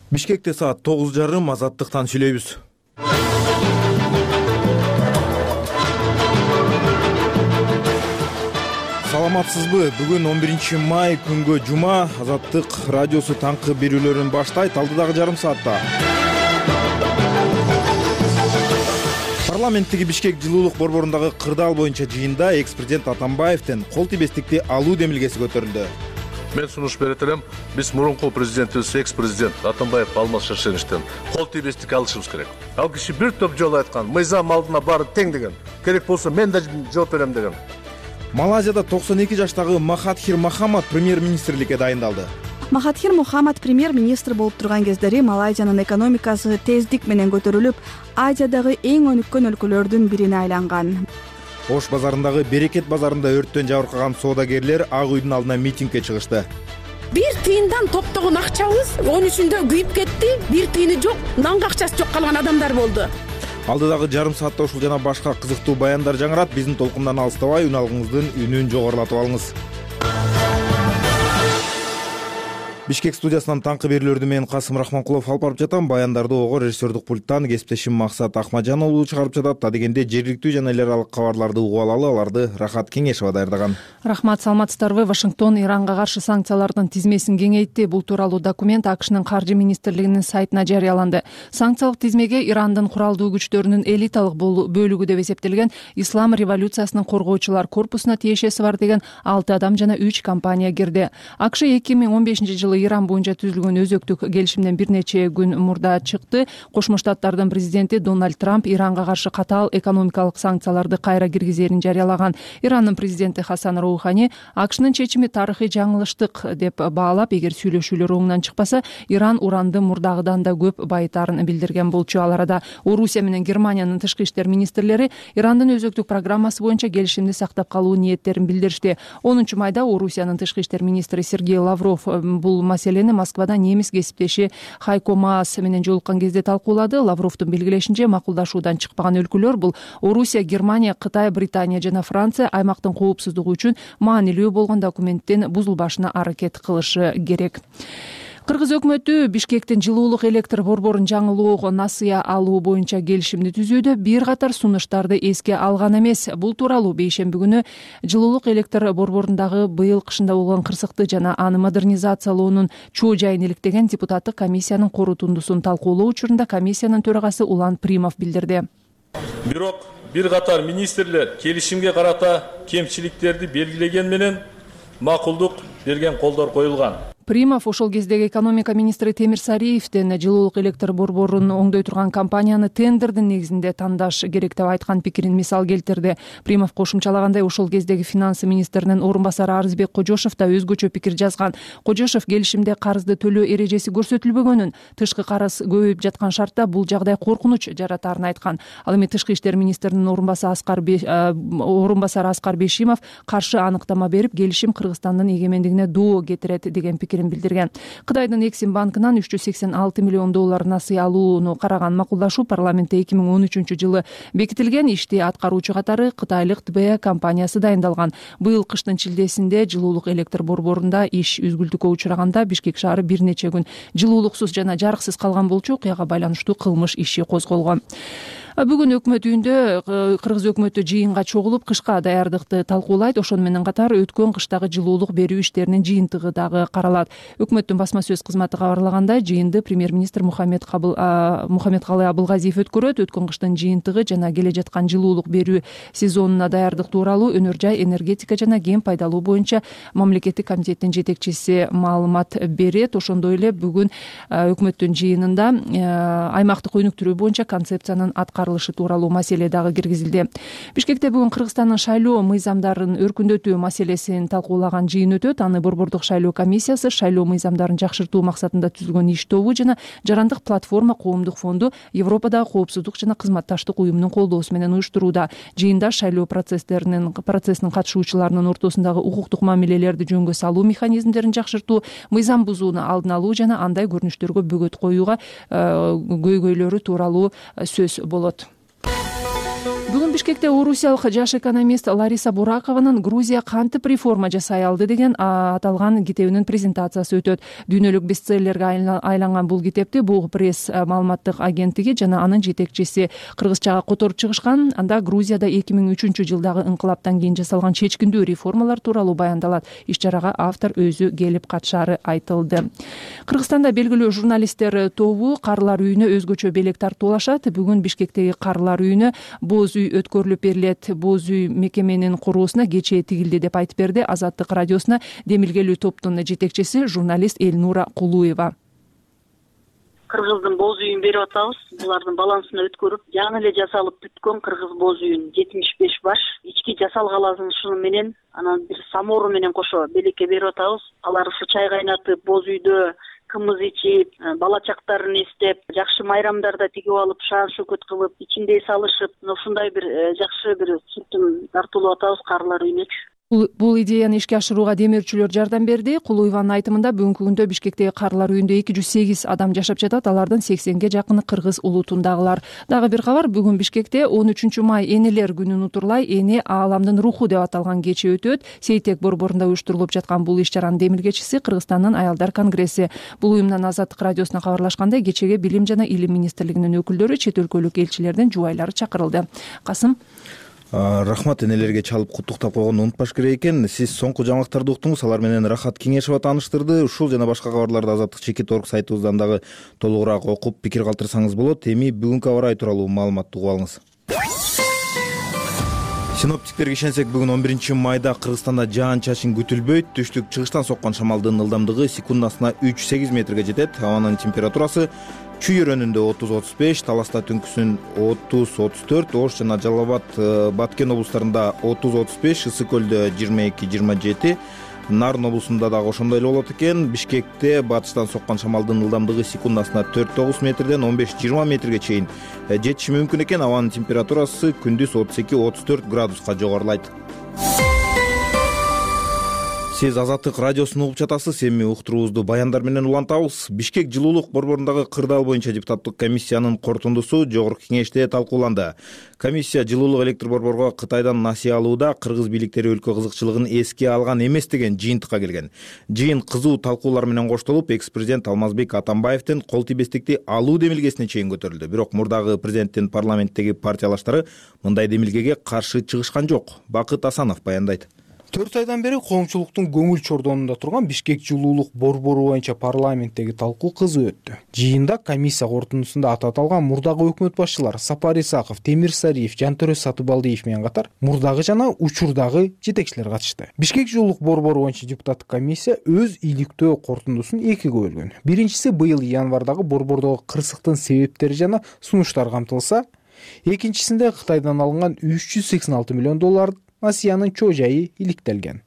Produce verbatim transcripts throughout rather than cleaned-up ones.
Бишкекте саат тогуз жарым азаттыктан сүйлөйбүз. Саламатсызбы? Бүгүн он биринчи май күнгө жума. Азаттык радиосу таңкы берүүлөрүн баштайт. Алдыдагы жарым саатта парламенттеги Бишкек жылуулук борборундагы кырдаал боюнча жыйында экс-президент Атамбаевден кол тийбестикти алуу демилгеси көтөрүлдү. Мен сунуш берет элем. Биз мурунку президентибиз, экс-президент Атамбаев Алмаз Шаршеновичтен кол тийбестик алышыбыз керек. Ал киши бир топ жолу айткан, мыйзам алдына баары тең деген. Керек болсо мен да жооп берем деген. Малайзияда токсон эки жаштагы Махатхир Мохаммад премьер-министрликке дайындалды. Махатхир Мохаммад премьер-министр болуп турган кездери Малайзиянын экономикасы тездик менен көтөрүлүп, Азиядагы эң өнүккөн өлкөлөрдүн бирине айланган. Ош базарындагы Берекет базарында өрттөн жабыркаган соодагерлер Ак үйдүн алдына митингге чыгышты. Бир тыйындан топтогон акчабыз он үчүндө күйүп кетти. Бир тыйыны жок, нанга акчасы жок калган адамдар болду. Алдыдагы жарым саатта ушул жана башка кызыктуу баяндар жаңырат. Биздин толкундан алыстабай, үн алгыңыздын үнүн жогорулатып алыңыз. Бишкек студиясынан таңкы берүүлөрдү мен Касым Рахманкулов алып барып жатам. Баяндарды ого режиссердик пульттан кесиптешим Максат Ахмаджан уулу чыгарып жатат. Адегенде жергиликтүү жана эл аралык кабарларды угуп алалы. Аларды Рахат Кеңешова даярдаган. Рахмат, саламатсыздарбы? Вашингтон Иранга каршы санкциялардын тизмесин кеңейтти. Бул тууралуу документ АКШнын каржы министрлигинин сайтына жарыяланды. Санкциялык тизмеге Ирандын куралдуу күчтөрүнүн элиталык бөлүгү деп эсептелген Ислам революциясынын коргоочулар корпусуна тиешеси бар деген алты адам жана үч компания кирди. АКШ эки миң он бешинчи жылы Иран боюнча түзүлгөн өзөктүк келишимден бир нече күн мурда чыкты. Кошмо Штаттардын президенти Дональд Трамп Иранга каршы катаал экономикалык санкцияларды кайра киргизерин жарыялаган. Ирандын президенти Хасан Роухани АКШнын чечими тарыхый жаңылыштык деп баалап, эгер сүйлөшүүлөр оңунан чыкпаса, Иран уранды мурдагыдан да көп байытарын билдирген болчу. Ал арада Орусия менен Германиянын тышкы иштер министрлери Ирандын өзөктүк программасы боюнча келишимди сактап калуу ниеттерин билдиришти. онунчу майда Орусиянын тышкы иштер министри Сергей Лавров бул маселени Москвада немис кесиптеши Хайко Маас менен жолуккан кезде талкуулады. Лавровдун белгилешинче, макулдашуудан чыкпаган өлкөлөр бул Орусия, Германия, Кытай, Британия жана Франция аймактын коопсуздугу үчүн маанилүү болгон документтин бузулбашына аракет кылышы керек. Кыргыз өкмөтү Бишкектин жылуулук электр борборун жаңылоого насыя алуу боюнча келишимди түзүүдө бир катар сунуштарды эске алган эмес. Бул тууралуу бейшемби күнү жылуулук электр борборундагы быйыл кышында болгон кырсыкты жана аны модернизациялоонун чоо жайын иликтеген депутаттык комиссиянын корутундусун талкуулоо учурунда комиссиянын төрагасы Улан Примов билдирди. Бирок бир катар министрлер келишимге карата кемчиликтерди белгилеген менен макулдук берген колдор коюлган. Примов ошол кездеги экономика министри Темир Сариевден жылуулук электр борборун оңдой турган компанияны тендердин негизинде тандаш керек деп айткан пикирин мисал келтирди. Примов кошумчалагандай, ошол кездеги финансы министринин орун басары Арызбек Кожошов да өзгөчө пикир жазган. Кожошов келишимде карызды төлөө эрежеси көрсөтүлбөгөнүн, тышкы карыз көбөйүп жаткан шартта бул жагдай коркунуч жаратарын айткан. Ал эми тышкы иштер министринин орун басары Аскар орун басары Аскар Бешимов каршы аныктама берип, келишим Кыргызстандын эгемендигине доо кетирет деген пикир билдирген. Кытайдын Эксим банкынан үч жүз сексен алты миллион доллар насыя алууну караган макулдашуу парламентте эки миң он үчүнчү жылы бекитилген. Ишти аткаруучу катары кытайлык Т Б компаниясы дайындалган. Быйыл кыштын чилдесинде жылуулук электр борборунда иш үзгүлтүккө учураганда Бишкек шаары бир нече күн жылуулуксуз жана жарыксыз калган болчу. Окуяга байланыштуу кылмыш иши козголгон. Бүгүн өкмөт үйүндө Кыргыз өкмөтү жыйынга чогулуп, кышка даярдыкты талкуулайт. Ошону менен катар өткөн кыштагы жылуулук берүү иштеринин жыйынтыгы дагы каралат. Өкмөттүн басма сөз кызматы кабарлагандай, жыйынды премьер-министр Мухаммед Калый Абылгазиев өткөрөт. Өткөн кыштын жыйынтыгы жана келе жаткан жылуулук берүү сезонуна даярдык тууралуу өнөр жай, энергетика жана кен пайдалуу боюнча мамлекеттик комитеттин жетекчиси маалымат берет. Ошондой эле бүгүн өкмөттүн жыйынында аймактык өнүктүрүү боюнча концепциянын аткарылышы тууралуу маселе дагы киргизилди. Бишкекте бүгүн Кыргызстандын шайлоо мыйзамдарын өркүндөтүү маселесин талкуулаган жыйын өтөт. Аны борбордук шайлоо комиссиясы, шайлоо мыйзамдарын жакшыртуу максатында түзүлгөн иш тобу жана Жарандык платформа коомдук фонду Европадагы коопсуздук жана кызматташтык уюмунун колдоосу менен уюштурууда. Жыйында шайлоо процесстеринин процессинин катышуучуларынын ортосундагы укуктук мамилелерди жөнгө салуу механизмдерин жакшыртуу, мыйзам бузууну алдын алуу жана андай көрүнүштөргө бөгөт коюуга көйгөйлөрү тууралуу сөз болот. Бүгүн Бишкекте орусиялык жаш экономист Лариса Буракованын Грузия кантип реформа жасай алды деген аталган китебинин презентациясы өтөт. Дүйнөлүк бестселлерге айланган бул китепти Буг пресс маалыматтык агенттиги жана анын жетекчиси кыргызчага которуп чыгышкан. Анда Грузияда эки миң үчүнчү жылдагы инкылаптан кийин жасалган чечкиндүү реформалар тууралуу баяндалат. Иш-чарага автор өзү келип катышаары айтылды. Кыргызстанда белгилүү журналисттер тобу карлар үйүнө өзгөчө белек тартуулашат. Бүгүн Бишкектеги карлар үйүнө боз үй өткөрүлүп берилет. Боз үй мекеменин куруусуна кечээ тигилди деп айтып берди Азаттык радиосуна демилгелүү топтун жетекчиси журналист Элнура Кулуева. Кыргыздын боз үйүн берип атабыз. Булардын балансына өткөрүп, жаңы эле жасалып бүткөн кыргыз боз үйүн жетимиш беш баш ички жасалгаланышыны менен анан бир самору менен кошо белекке берип атабыз. Алар ушу чай кайнатып, боз үйдө кымыз ичип, бала чактарын эстеп, жакшы майрамдарда тигип алып, шаан шөкөт кылып, ичинде салышып, ушундай бир жакшы бир сүртүм тартуулап атабыз карлар үйүнөчү. Бул идеяны ишке ашырууга демирчүлөр жардам берди. Кулуеванын айтымында бүгүнкү күндө Бишкектеги карлар үйүндө эки жүз сегиз адам жашап жатат. Алардын сексенге жакыны кыргыз улутундагылар. Дагы бир кабар, бүгүн Бишкекте он үчүнчү май энелер күнүн утурлай эне ааламдын руху деп аталган кече өтөт. Сейтек борборунда уюштурулуп жаткан бул иш-чаранын демилгечиси Кыргызстандын аялдар конгресси. Бул уюмдан Азаттык радиосуна кабарлашкандай, кечеге Билим жана Илим министрлигинин өкүлдөрү, чет өлкөлүк элчилердин жубайлары чакырылды. Касым Рахмат, энелерге чалып куттуктап койгонду унутпаш керек экен. Сиз соңку жаңылыктарды уктуңуз, алар менен Рахат Кеңешова тааныштырды. Ушул жана башка кабарларды Азаттык чекит точка орг сайтыбыздан дагы толугураак окуп, пикир калтырсаңыз болот. Эми бүгүнкү аба ырайы тууралуу маалыматты угуп алыңыз. Синоптиктерге ишенсек, бүгүн он биринчи майда Кыргызстанда жаан-чачын күтүлбөйт. Түштүк-чыгыштан соккон шамалдын ылдамдыгы секундасына үч сегиз метрге жетет. Абанын температурасы Чүй районунда отуз отуз беш, Таласта түнкүсүн отуз отуз төрт, Ош жана Жалал Абад, Баткен облустарында отуз отуз беш, Ысык көлдө жыйырма эки жыйырма жети, Нарын облусунда дагы ошондой эле болот экен. Бишкекте батыштан соккон шамалдын ылдамдыгы секундасына төрт тогуз метрден он беш жыйырма метрге чейин жетиши мүмкүн экен. Абанын температурасы күндүз отуз эки отуз төрт градуска жогорулайт. Сиз Азаттык радиосун угуп жатасыз. Эми уктуруубузду баяндар менен улантабыз. Бишкек жылуулук борборундагы кырдаал боюнча депутаттык комиссиянын корутундусу жогорку кеңеште талкууланды. Комиссия жылуулук электр борборго Кытайдан насыя алууда кыргыз бийликтери өлкө кызыкчылыгын эске алган эмес деген жыйынтыкка келген. Жыйын кызуу талкуулар менен коштолуп, экс-президент Алмазбек Атамбаевдин кол тийбестикти алуу демилгесине чейин көтөрүлдү. Бирок мурдагы президенттин парламенттеги партиялаштары мындай демилгеге каршы чыгышкан жок. Бакыт Асанов баяндайт. төрт айдан бери коомчулуктун көңүл чордонунда турган Бишкек жылуулук борбору боюнча парламенттеги талкуу кызуу өттү. Жыйында комиссия корутундусунда аты аталган мурдагы өкмөт башчылары Сапар Исаков, Темирсариев, Жантөрө Сатыбалдиев менен катар мурдагы жана учурдагы жетекчилер катышты. Бишкек жылуулук борбору боюнча депутаттык комиссия өз иликтөө корутундусун экиге бөлгөн. Биринчиси быйыл январдагы борбордогу кырсыктын себептери жана сунуштар камтылса, экинчисинде Кытайдан алынган үч жүз сексен алты миллион доллар насыянын чоо жайы иликтелген.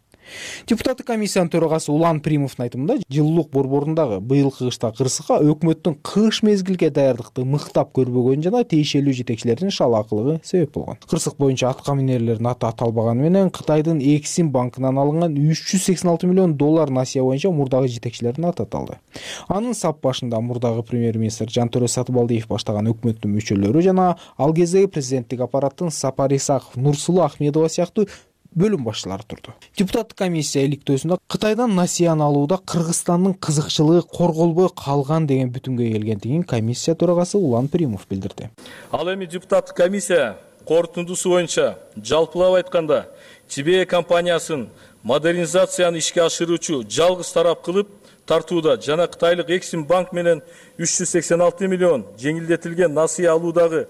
Депутаттык комиссиянын төрагасы Улан Примовдун айтымында, жылуулук борборундагы быйылкы кышта кырсыкка өкмөттүн кыш мезгилге даярдыкты мыктап көрбөгөнү жана тиешелүү жетекчилердин шалаакылыгы себеп болгон. Кырсык боюнча атка минерлердин аты аталбаганы менен Кытайдын Эксим банкынан алынган үч жүз сексен алты миллион доллар насыя боюнча мурдагы жетекчилердин аты аталды. Анын сап башында мурдагы премьер-министр Жантөрө Сатыбалдиев баштаган өкмөттүн мүчөлөрү жана ал кездеги президенттик аппараттын Сапар Исаков, Нурсулу Ахмедова сыяктуу бөлүм башчылары турду. Депутаттык комиссия иликтөөсүндө Кытайдан насыяны алууда Кыргызстандын кызыкчылыгы корголбой калган деген бүтүнгө келгендигин комиссия төрагасы Улан Примов билдирди. Ал эми депутаттык комиссия корутундусу боюнча жалпылап айтканда Чибе компаниясын модернизацияны ишке ашыруучу жалгыз тарап кылып тартууда жана Кытайлык Эксим банк менен үч жүз сексен алты миллион жеңилдетилген насыя алуудагы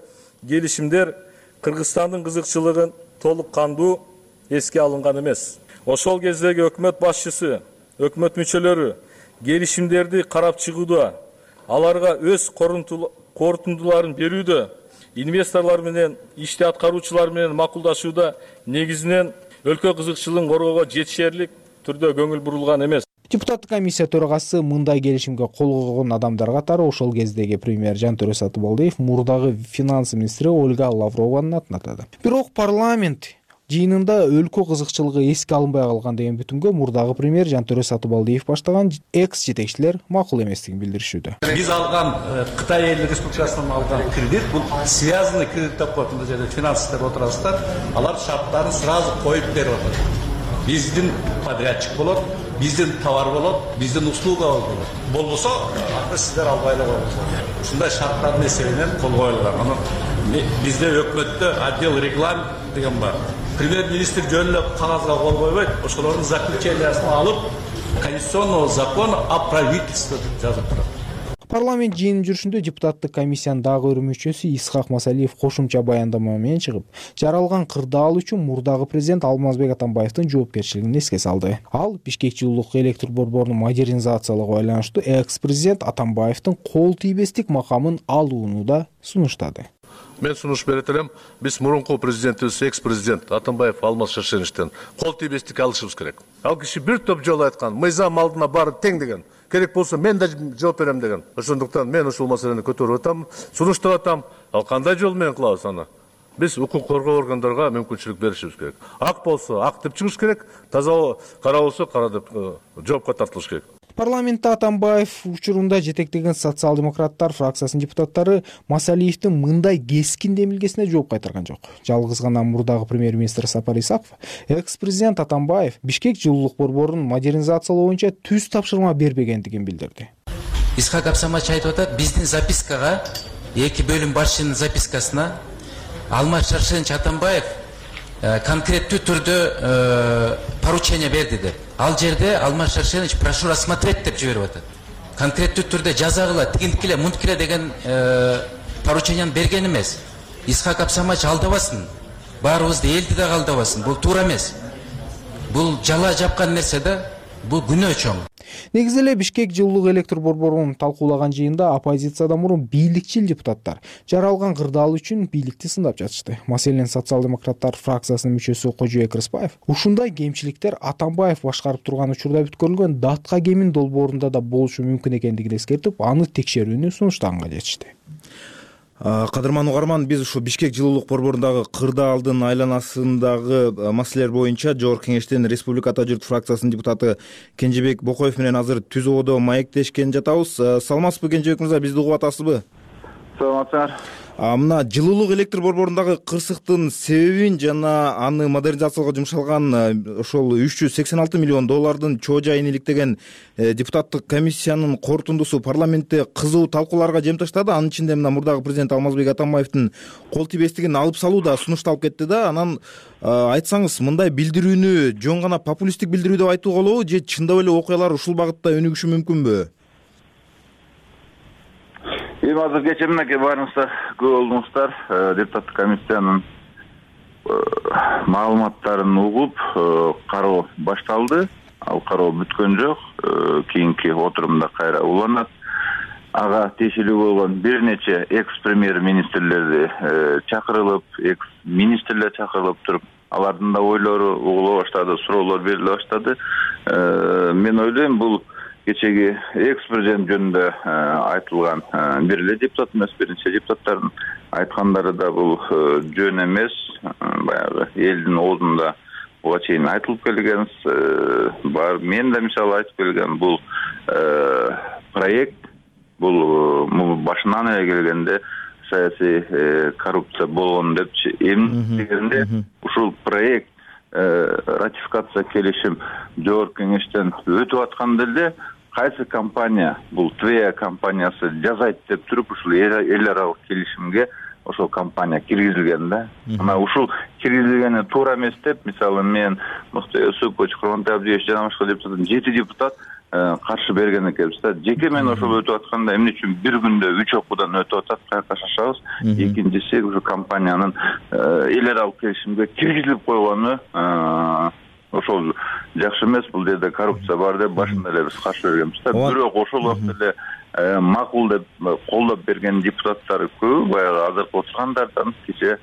келишимдер Кыргызстандын кызыкчылыгын толук кандуу эске алынган эмес. Ошол кездеги өкмөт башчысы, өкмөт мүчөлөрү келишимдерди карап чыгууда, аларга өз корутундуларын берүүдө, инвесторлор менен, ишти аткаруучулар менен макулдашууда негизинен өлкө кызыкчылыгын коргоого жетишерлик түрдө көңүл бурулган эмес. Депутаттык комиссия төрагасы мындай келишимге кол койгон адамдар катары ошол кездеги премьер Жантөрө Сатыбалдиев, мурдагы финанс министри Ольга Лаврованын атын атады. Бирок парламент Жыйынында өлкө кызыкчылыгы эске алынбай калган деген бүтүмгө мурдагы премьер Жантөре Сатыбалдиев баштаган экс жетекчилер макул эместигин билдиришүүдө. Биз алган Кытай Элдик Республикасынан алган кредит бул связанный кредит деп коет. Мында жерде финанс деп отурасыздар. Алар шарттарын сразу коюп берип атат. Биздин подрядчик болот, биздин товар болот, биздин услуга болот. Болбосо, аны сиздер албай эле коесуздар. Ушундай шарттардын эсебинен кол коюлган. Аны бизде өкмөттө отдел реклам деген бар. Премьер-министр жөн эле кагазга кол койбойт, ошолордун заключениясын алып, конституционного закона о правительстве деп жазып турат. Парламент жыйынын жүрүшүндө депутаттык комиссиянын дагы бир мүчөсү Исхак Масалиев кошумча баяндама менен чыгып, жаралган кырдаал үчүн мурдагы президент Алмазбек Атамбаевдин жоопкерчилигин эске салды. Ал Бишкек жылуулук электр борборун модернизациялоого байланыштуу экс-президент Атамбаевдин кол тийбестик макамын алууну да сунуштады. Мен сунуш берет элем, биз мурунку президентибиз, экс-президент Атамбаев Алмаз Шаршеновичтен кол тийбестик алышыбыз керек. Ал киши бир топ жолу айткан, мыйзам алдына баары тең деген. Керек болсо мен да жооп берем деген. Ошондуктан мен ушул маселени көтөрүп атам, сунуштап атам. Ал кандай жол менен кылабыз аны? Биз укук коргоо органдарга мүмкүнчүлүк беришибиз керек. Ак болсо ак деп чыгыш керек, таза кара болсо кара деп жоопко тартылыш керек. Парламентте Атамбаев учурунда жетектеген социал-демократтар фракциясынын депутаттары Масалиевдин мындай кескин демилгесине жооп кайтарган жок. Жалгыз гана мурдагы премьер-министр Сапар Исаков экс-президент Атамбаев Бишкек жылуулук борборун модернизациялоо боюнча түз тапшырма бербегендигин билдирди. Исхак Абсамач айтып атат, биздин запискага, эки бөлүм башчынын запискасына Алмаз Шаршенович Атамбаев конкреттүү түрдө поручение берди деп. Ал жерде Алмаз Шаршенович прошу рассмотреть деп жиберип атат. Конкреттүү түрдө жазагыла, тигинткиле, мунткиле деген поручениени берген эмес. Исхак Абсамач алдабасын. Баарыбызды элди да алдабасын. Бул туура эмес. Бул жала жапкан нерсе да, бул күнөө чоң. Негизи эле Бишкек жылуулук электр борборун талкуулаган жыйында оппозициядан мурун бийликчил депутаттар жаралган кырдаал үчүн бийликти сындап жатышты. Маселен социал-демократтар фракциясынын мүчөсү Кожоек Рыспаев ушундай кемчиликтер Атамбаев башкарып турган учурда бүткөрүлгөн датка кемин долбоорунда да болушу мүмкүн экендигин эскертип, аны текшерүүнү сунуштаганга жетишти. Кадырман угарман, биз ушу Бишкек жылуулук борборундагы кырдаалдын айланасындагы маселелер боюнча Жогорку Кеңештин Республика Ата журт фракциясынын депутаты Кенжебек Бокоев менен азыр түз ободо маектешкен жатабыз. Саламатсызбы Кенжебек мырза, бизди угуп атасызбы? Саламатсыздар. Мына жылуулук электр борборундагы кырсыктын себебин жана аны модернизациялоого жумшалган ошол үч жүз сексен алты миллион доллардын чоо жайын иликтеген депутаттык комиссиянын корутундусу парламентте кызуу талкууларга жемташтады. Анын ичинде мына мурдагы президент Алмазбек Атамбаевдин кол тийбестигин алып салуу да сунушталып кетти да. Анан айтсаңыз, мындай билдирүүнү жөн гана популисттик билдирүү деп айтууга болобу, же чындап эле окуялар ушул багытта өнүгүшү мүмкүнбү? Эми азыр кечээ мынакей баарыңыздар көп болдуңуздар, депутаттык комиссиянын маалыматтарын угуп кароо башталды. Ал кароо бүткөн жок. Кийинки отурумда кайра уланат. Ага тиешелүү болгон бир нече экс-премьер-министрлерди чакырылып, экс-министрлер чакырылып туруп, алардын да ойлору угула баштады, суроолор бериле баштады. Мен ойлойм, бул кечеги экс-президент жөнүндө айтылган бир эле депутат эмес, биринчи депутаттардын айткандары да бул жөн эмес. Баягы элдин оозунда буга чейин айтылып келген, бар мен да мисалы айтып келген, бул проект, бул башынан эле келгенде саясий коррупция болгон депчи, эмне дегенде ушул проект ратификация келишим Жогорку Кеңештен өтүп атканда эле кайсы компания, бул Твея компаниясы жазайт деп туруп, ушул эл аралык келишимге ошол компания киргизилген да. Ана ушул киргизилгени туура эмес деп, мисалы мен Муктай Юсупович, Курмантай Абдиевич жана башка депутаттар, жети депутат каршы берген экенбиз да. Жеке мен ошол өтүп атканда эмне үчүн бир күндө үч окуудан өтүп атат, каяка шашабыз. Экинчиси ушу компаниянын эл аралык келишимге киргизилип койгону ошол жакшы эмес, бул жерде коррупция бар деп башында эле биз каршы бергенбиз да. Бирок ошол убакта эле макул деп колдоп берген депутаттар көп, баягы азыркы отургандардан кечээ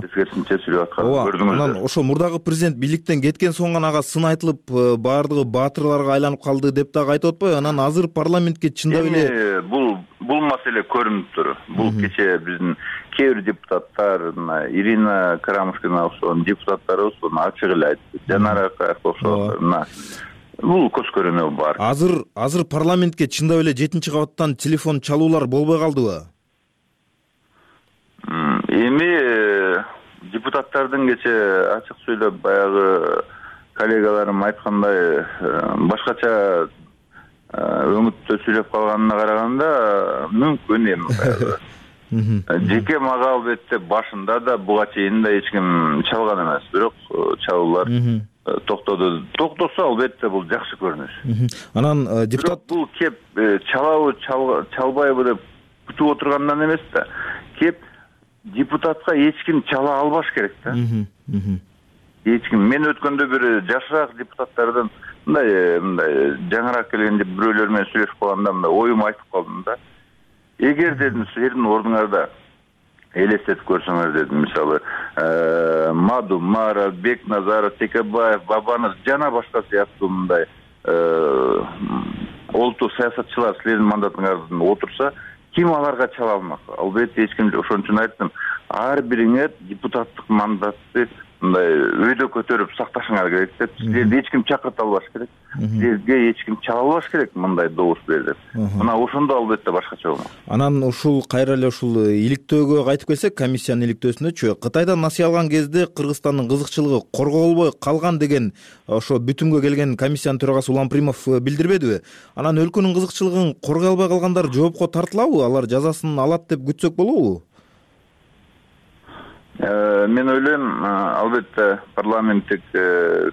тескерисинче сүйлөп атканын көрдүңүздөр. Анан ошо мурдагы президент бийликтен кеткен соң гана ага сын айтылып, баардыгы баатырларга айланып калды деп дагы айтып атпайбы? Анан азыр парламентке чындап эле бул бул маселе көрүнүптүр. Бул кечээ биздин кээ бир депутаттар, Ирина Карамушкина окшогон депутаттарыбыз буну ачык эле айтты. Жанара окшогон бул көз көрөнү бар. Азыр азыр парламентке чындап эле жетинчи кабаттан телефон чалуулар болбой калдыбы? Эми депутаттардын кече ачык сүйлөп баягы коллегаларым айткандай башкача өңүттө сүйлөп калганына караганда мүмкүн эми. Жеке мага албетте башында да буга чейин да эч ким чалган эмес, бирок чалуулар токтоду. Токтосо албетте бул жакшы көрүнүш. Анан депутат бул кеп чалабы чалбайбы деп күтүп отургандан эмес да, кеп депутатка эч ким чала албаш керек да. Эч ким. Мен өткөндө бир жашыраак депутаттардан мындай мындай жаңыраак келген бирөөлөр менен сүйлөшүп калганда мындай оюмду айтып калдым да. Эгер дедим силердин ордуңарда элестетип көрсөңөр дедим, мисалы Маду, Мара, Бекназаров, Текебаев, Бабанов жана башка сыяктуу мындай олуттук саясатчылар силердин мандатыңардан отурса, ким аларга чала алмак? Албетте эч ким. Ошон үчүн айттым, ар бириңер депутаттык мандатты мындай өйдө көтөрүп сакташыңар керек деп. Силерди эч ким чакырта албаш керек. Силерге эч ким чала албаш керек мындай добуш бер деп. Мына ошондо албетте башкача болмок. Анан ушул кайра эле ушул иликтөөгө кайтып келсек, комиссиянын иликтөөсүнөчү Кытайдан насыя алган кезде Кыргызстандын кызыкчылыгы корголбой калган деген ошо бүтүмгө келген комиссиянын төрагасы Улан Примов билдирбедиби? Анан өлкөнүн кызыкчылыгын коргой албай калгандар жоопко тартылабы? Алар жазасын алат деп күтсөк болобу? Мен ойлойм, албетте парламенттик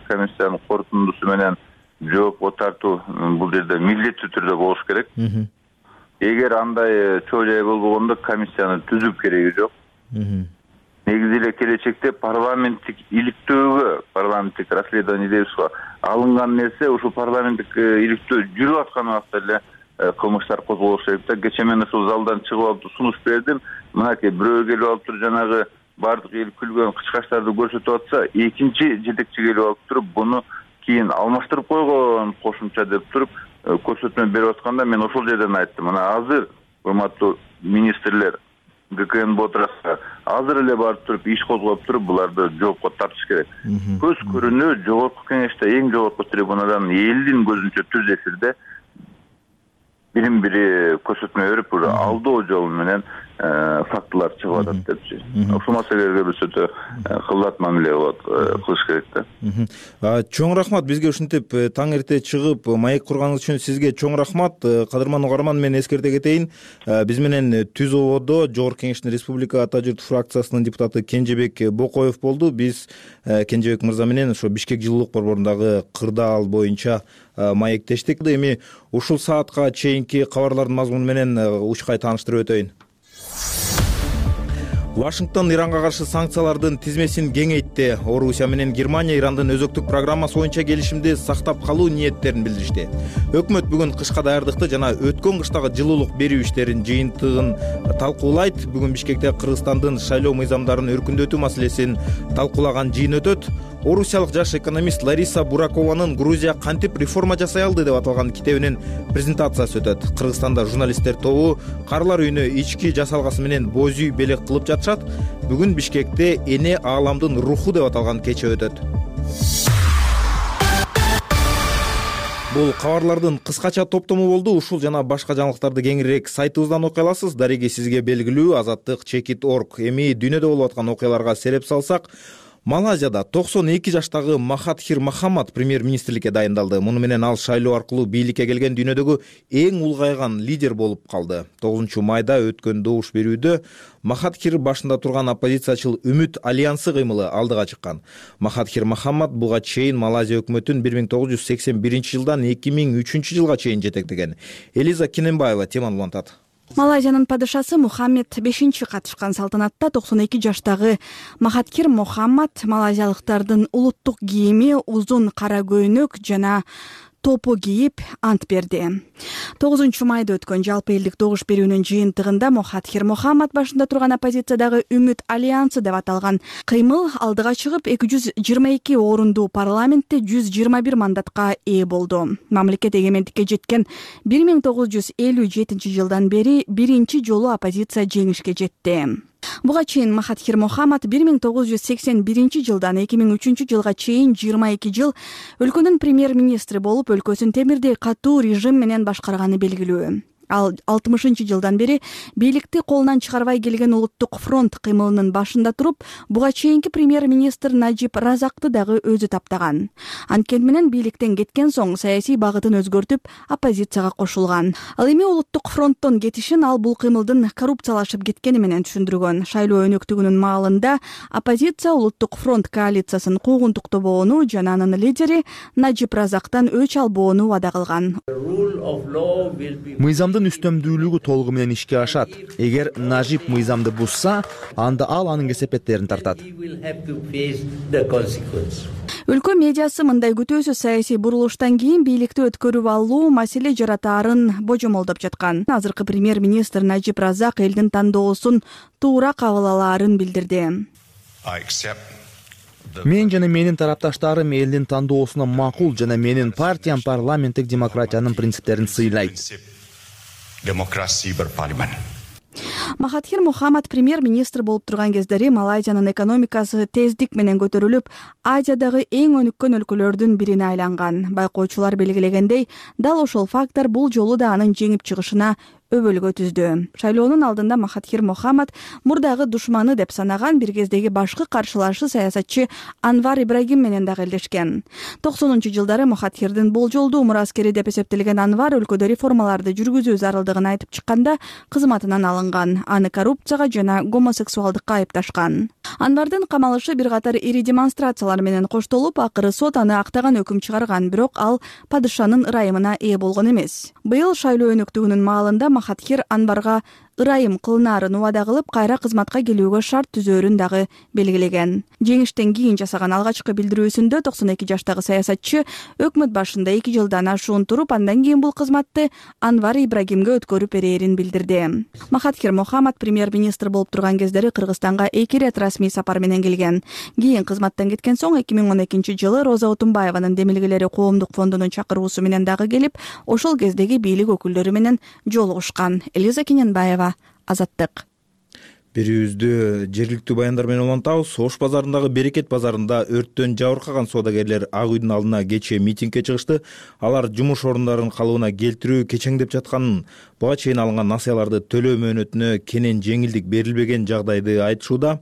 комиссиянын корутундусу менен жоопко тартуу бул жерде милдеттүү түрдө болуш керек. Эгер андай чоо жай болбогондо комиссияны түзүп кереги жок. Негизи эле келечекте парламенттик иликтөөгө, парламенттик расследование дейбизго алынган нерсе ушу парламенттик иликтөө жүрүп аткан убакта эле кылмыштар козголуш керек да. Кечээ мен ушул залдан чыгып алып сунуш бердим. Мынакей бирөө келип алып туруп жанагы бардык эл күлгөн кычкачтарды көрсөтүп атса, экинчи жетекчи келип алып туруп буну кийин алмаштырып койгон кошумча деп туруп көрсөтмө берип атканда мен ошол жерден айттым. Мына азыр урматтуу министрлер ГКН отураса азыр эле барып туруп иш козгоп туруп буларды жоопко тартыш керек. Көз көрүнүү жогорку кеңеште эң жогорку трибунадан элдин көзүнчө түз эфирде бирин бири көрсөтмө берип, алдоо жол менен фактылар чыгып атат депчи. Ушул маселелерге биз өтө кылдат мамиле болот, кылыш керек да. Чоң рахмат, бизге ушинтип таң эрте чыгып маек курганыңыз үчүн сизге чоң рахмат. Кадырман угарман, мен эскерте кетейин. Биз менен түз ободо Жогорку Кеңештин Республика Ата журт фракциясынын депутаты Кенжебек Бокоев болду. Биз Кенжебек мырза менен ошо Бишкек жылуулук борборундагы кырдаал боюнча маектештик. Эми ушул саатка чейинки кабарлардын мазмуну менен учкай тааныштырып өтөйүн. Вашингтон Иранга каршы санкциялардын тизмесин кеңейтти. Орусия менен Германия Ирандын өзөктүк программасы боюнча келишимди сактап калуу ниеттерин билдиришти. Өкмөт бүгүн кышка даярдыкты жана өткөн кыштагы жылуулук берүү иштерин жыйынтыгын талкуулайт. Бүгүн Бишкекте Кыргызстандын шайлоо мыйзамдарын өркүндөтүү маселесин талкуулаган жыйын өтөт. Орусиялык жаш экономист Лариса Буракованын Грузия кантип реформа жасай алды деп аталган китебинин презентациясы өтөт. Кыргызстанда журналисттер тобу карлар үйүнө ички жасалгасы менен боз үй белек кылып жатышат. Бүгүн Бишкекте эне ааламдын руху деп аталган кече өтөт. Бул кабарлардын кыскача топтому болду. Ушул жана башка жаңылыктарды кеңирээк сайтыбыздан окуй аласыз. Дареги сизге белгилүү азаттык чекит точка орг. Эми дүйнөдө болуп аткан окуяларга сереп салсак, Малайзияда токсон эки жаштагы Махатхир Мохаммад премьер-министрликке дайындалды. Муну менен ал шайлоо аркылуу бийликке келген дүйнөдөгү эң улгайган лидер болуп калды. тогузунчу майда өткөн добуш берүүдө Махатхир башында турган оппозициячыл Үмүт альянсы кыймылы алдыга чыккан. Махатхир Мохаммад буга чейин Малайзия өкмөтүн бир миң тогуз жүз сексен биринчи жылдан эки миң үчүнчү жылга чейин жетектеген. Элиза Кененбаева теманы улантат. Малайзиянын падышасы Мухаммед бешинчи катышкан салтанатта токсон эки жаштагы Махатхир Мохаммад малайзиялыктардын улуттук кийими, узун кара көйнөк жана топу кийип ант берди. тогузунчу майда өткөн жалпы элдик добуш берүүнүн жыйынтыгында Мухатхир Мухаммад башында турган оппозициядагы Үмүт альянсы деп аталган кыймыл алдыга чыгып эки жүз жыйырма эки орунду парламентте жүз жыйырма бир мандатка ээ болду. Мамлекет эгемендикке жеткен бир миң тогуз жүз элүү жетинчи жылдан бери биринчи жолу оппозиция жеңишке жетти. Буга чейин Мухатхир Мухаммад бир миң тогуз жүз сексен биринчи жылдан эки миң үчүнчү жылга чейин жыйырма эки жыл өлкөнүн премьер-министри болуп, өлкөсүн темирдей катуу режим менен башкарганы белгилүү. Ал алтымышынчы жылдан бери бийликти колунан чыгарбай келген Улуттук фронт кыймылынын башында туруп, буга чейинки премьер-министр Najib Razakты дагы өзү таптаган. Анткени менен бийликтен кеткен соң саясий багытын өзгөртүп, оппозицияга кошулган. Ал эми Улуттук фронттон кетишин ал бул кыймылдын коррупциялашып кеткени менен түшүндүргөн. Шайлоо өнөктүгүнүн маалында оппозиция Улуттук фронт коалициясын куугунтуктабоону жана анын лидери Najib Razактан өч албоону убада кылган. Мыйзамдын үстөмдүүлүгү толугу менен ишке ашат. Эгер Najib мыйзамды бузса, анда ал анын кесепеттерин тартат. Өлкө медиасы мындай күтүүсүз саясий бурулуштан кийин бийликти өткөрүп алуу маселе жаратаарын божомолдоп жаткан. Азыркы премьер-министр Najib Razak элдин тандоосун туура кабыл алаарын билдирди. Мен жана менин тарапташтарым элдин тандоосуна макул жана менин партиям парламенттик демократиянын принциптерин сыйлайт. Демократия бір парламент. Мухатхир Мухаммад премьер-министр болуп турган кездери Малайзиянын экономикасы тездик менен көтөрүлүп, Азиядагы эң өнүккөн өлкөлөрдүн бирине айланган. Байкоочулар белгилегендей, дал ошол фактор бул жолу да анын жеңип чыгышына өбөлгө түздү. Шайлоонун алдында Мухатхир Мухаммад мурдагы душманы деп санаган бир кездеги башкы каршылашы саясатчы Анвар Ибрагим менен дагы элдешкен. токсонунчу жылдары Мухатхирдин болжолдуу мураскери деп эсептелген Анвар өлкөдө реформаларды жүргүзүү зарылдыгын айтып чыкканда кызматынан алынган. Аны коррупцияга жана гомосексуалдыкка айыпташкан. Анвардын камалышы бир катар ири демонстрациялар менен коштолуп, акыры сот аны актаган өкүм чыгарган, бирок ал падышанын ырайымына ээ болгон эмес. Быйыл шайлоо өнөктүгүнүн маалында Мухатхир Анварга ырайым кылынаарын убада кылып, кайра кызматка келүүгө шарт түзөөрүн дагы белгилеген. Жеңиштен кийин жасаган алгачкы билдирүүсүндө токсон эки жаштагы саясатчы өкмөт башында эки жылдан ашуун туруп, андан кийин бул кызматты Анвар Ибрагимге өткөрүп берээрин билдирди. Мухатхир Мухаммад премьер-министр болуп турган кездери Кыргызстанга эки ирет расмий сапар менен келген. Кийин кызматтан кеткен соң эки миң он экинчи жылы Роза Отунбаеванын Демилгелери коомдук фондунун чакыруусу менен дагы келип, ошол кездеги бийлик өкүлдөрү менен жолугушкан. Элиза Кененбаева, Азаттык. Берүүбүздү жергиликтүү баяндар менен улантабыз. Ош базарындагы Берекет базарында өрттөн жабыркаган соодагерлер Ак үйдүн алдына кечээ митингге чыгышты. Алар жумуш орундарын калыбына келтирүү кечеңдеп жатканын, буга чейин алынган насыяларды төлөө мөөнөтүнө кенен жеңилдик берилбеген жагдайды айтышууда.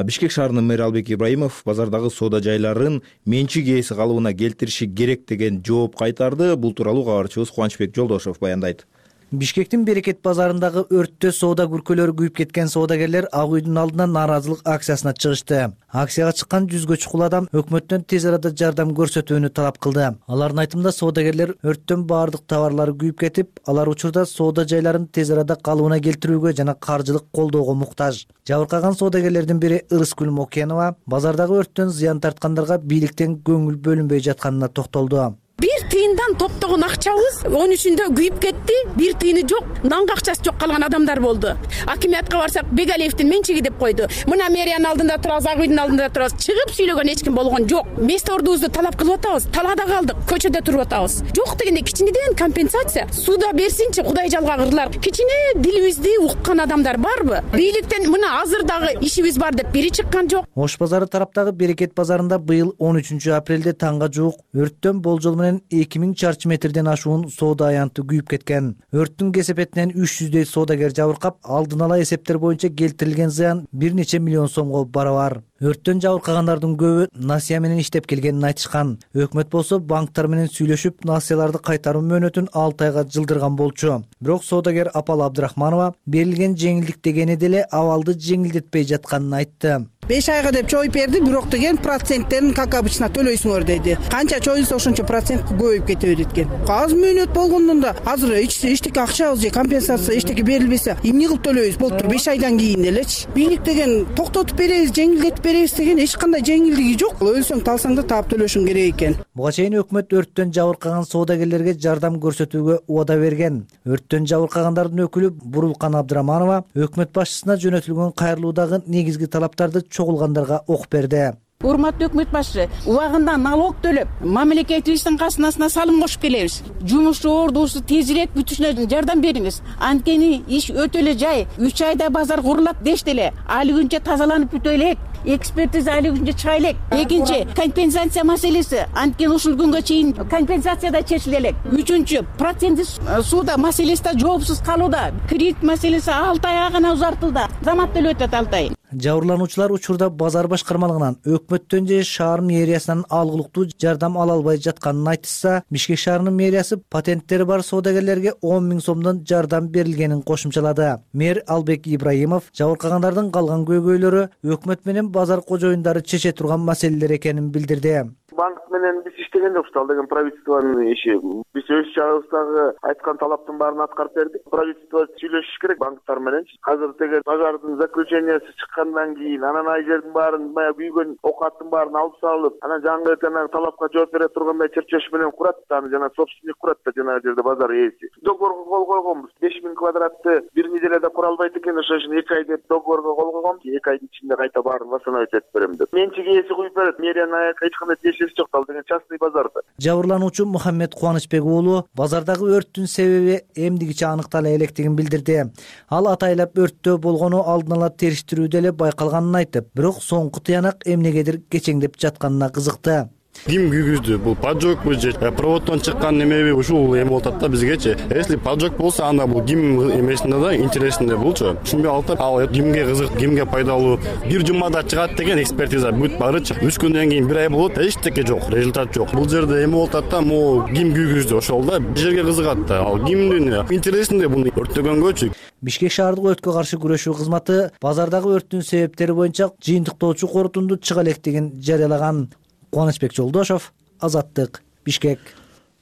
Бишкек шаарынын мэри Албек Ибраимов базардагы соода жайларын менчик ээси калыбына келтириши керек деген жооп кайтарды. Бул тууралуу кабарчыбыз Кубанычбек Жолдошов баяндайт. Бишкектин Берекет базарындагы өрттө соода күркөлөрү күйүп кеткен соодагерлер Ак үйдүн алдына нааразылык акциясына чыгышты. Акцияга чыккан жүзгө чукул адам өкмөттөн тез арада жардам көрсөтүүнү талап кылды. Алардын айтымында соодагерлер өрттөн баардык товарлары күйүп кетип, алар учурда соода жайларын тез арада калыбына келтирүүгө жана каржылык колдоого муктаж. Жабыркаган соодагерлердин бири Ырыскүл Мокенова базардагы өрттөн зыян тарткандарга бийликтен көңүл бөлүнбөй жатканына токтолду. Бир тыйындан топтогон акчабыз он үчүндө күйүп кетти. Бир тыйыны жок, нанга акчасы жок калган адамдар болду. Акимиятка барсак, Бегалиевдин менчиги деп койду. Мына мэриянын алдында турабыз, Ак үйдүн алдында турабыз. Чыгып сүйлөгөн эч ким болгон жок. Место ордубузду талап кылып атабыз. Талаада калдык, көчөдө туруп атабыз. Жок дегенде кичинеден компенсация суда берсинчи, Кудай жалгагырлар. Кичине дилибизди уккан адамдар барбы? Бийликтен мына азыр дагы ишибиз бар деп бири чыккан жок. Ош базары тараптагы Берекет базарында быйыл он үчүнчү апрелде таңга жуук өрттөн болжол менен эки миң чарчы метрден ашуун соода аянты күйүп кеткен. Өрттүн кесепетинен үч жүздөй соодагер жабыркап, алдын ала эсептер боюнча келтирилген зыян бир нече миллион сомго барабар. Өрттөн жабыркагандардын көбү насыя менен иштеп келгенин айтышкан. Өкмөт болсо банктар менен сүйлөшүп, насыяларды кайтаруу мөөнөтүн алты айга жылдырган болчу. Бирок соодагер Апал Абдрахманова берилген жеңилдик дегени деле абалды жеңилдетпей жатканын айтты. беш айга деп чоюп берди, бирок деген проценттерин как обычно төлөйсүңөр деди. Канча чоюлса ошончо процент көбөйүп кете берет экен. Аз мөөнөт болгондон да азыр эчтеке акчабыз же компенсация эчтеке берилбесе эмне кылып төлөйбүз? Болуптур беш айдан кийин элечи. Бийлик деген токтотуп беребиз, жеңилдетип беребиз деген эч кандай жеңилдиги жок. Өлсөң талсаң да таап төлөшүң керек экен. Буга чейин өкмөт өрттөн жабыркаган соодагерлерге жардам көрсөтүүгө убада берген. Өрттөн жабыркагандардын өкүлү Бурулкан Абдыраманова өкмөт башчысына жөнөтүлгөн кайрылуудагы негизги талаптарды чогулгандарга окуп берди. Урматтуу өкмөт башчы, убагында налог төлөп, мамлекетибиздин касынасына салым кошуп келебиз. Жумушчу ордусу тезирээк бүтүшүнө жардам бериңиз. Анткени иш өтө эле жай. үч айда базар курулат дешти эле. Али күнчө тазаланып бүтө элек. Экспертиза али күнчө чыга элек. Экинчи, компенсация маселеси. Анткени ушул күнгө чейин компенсация да чечиле элек. Үчүнчү, проценти сууда маселеси да жоопсуз калууда. Кредит маселеси алты айга гана узартылды. Замат делип өтөт алты ай. Жабырлануучулар учурда базар башкармалыгынан өкмөттөн же шаар мэриясынан алгылыктуу жардам ала албай жатканын айтышса, Бишкек шаарынын мэриясы патенттери бар соодагерлерге он миң сомдон жардам берилгенин кошумчалады. Мэр Албек Ибраимов жабыркагандардын калган көйгөйлөрү өкмөт менен базар кожоюндары чече турган маселелер экенин билдирди. Банк менен биз иштеген жокпуз, ал деген правительствонун иши. Биз өз жагыбыздагы айткан талаптын баарын аткарып бердик. Правительство сүйлөшүш керек банктар менен. Азыр теге пожардын заключениясы чыккандан кийин анан ай жердин баарын, баягы күйгөн окаттын баарын алып салып, анан жаңы жанагы талапка жооп бере тургандай чырчеш менен курат да, аны жана собственник курат да жанагы жерде базар ээси. Договорго кол койгонбуз. беш миң квадратты бир неделяда кура албайт экен, ошон үчүн эки ай деп договорго кол койгом. эки айдын ичинде кайта баарын восстановить этип берем деп. Менчик ээси куюп берет. Мэриянын аяка эч кандай жок, ал деген частный базарда. Жабырлануучу Мухаммед Кубанычбек уулу базардагы өрттүн себеби эмдигиче аныктала электигин билдирди. Ал атайлап өрттөө болгону алдын ала териштирүүдө эле байкалганын айтып, бирок соңку тыянак эмнегедир кечеңдеп жатканына кызыкты. Ким күйгүздү? Бул поджогбу же проводдон чыккан немеби ушул эме болуп атат да бизгечи. Если поджог болсо, анда бул ким эмесинде да интересинде болчу. Түшүнбөй алып, ал кимге кызык, кимге пайдалуу, бир жумада чыгат деген экспертиза бүт барычы. үч күндөн кийин бир ай болот, эчтеке жок, результат жок. Бул жерде эме болуп атат да, могу ким күйгүздү ошол да бир жерге кызыгат да. Ал кимдин интересинде буну өрттөгөнгөчү. Бишкек шаардык өрткө каршы күрөшүү кызматы базардагы өрттүн себептери боюнча жыйынтыктоочу корутунду чыга электигин жарыялаган. Кубанычбек Жолдошов, Азаттык, Бишкек.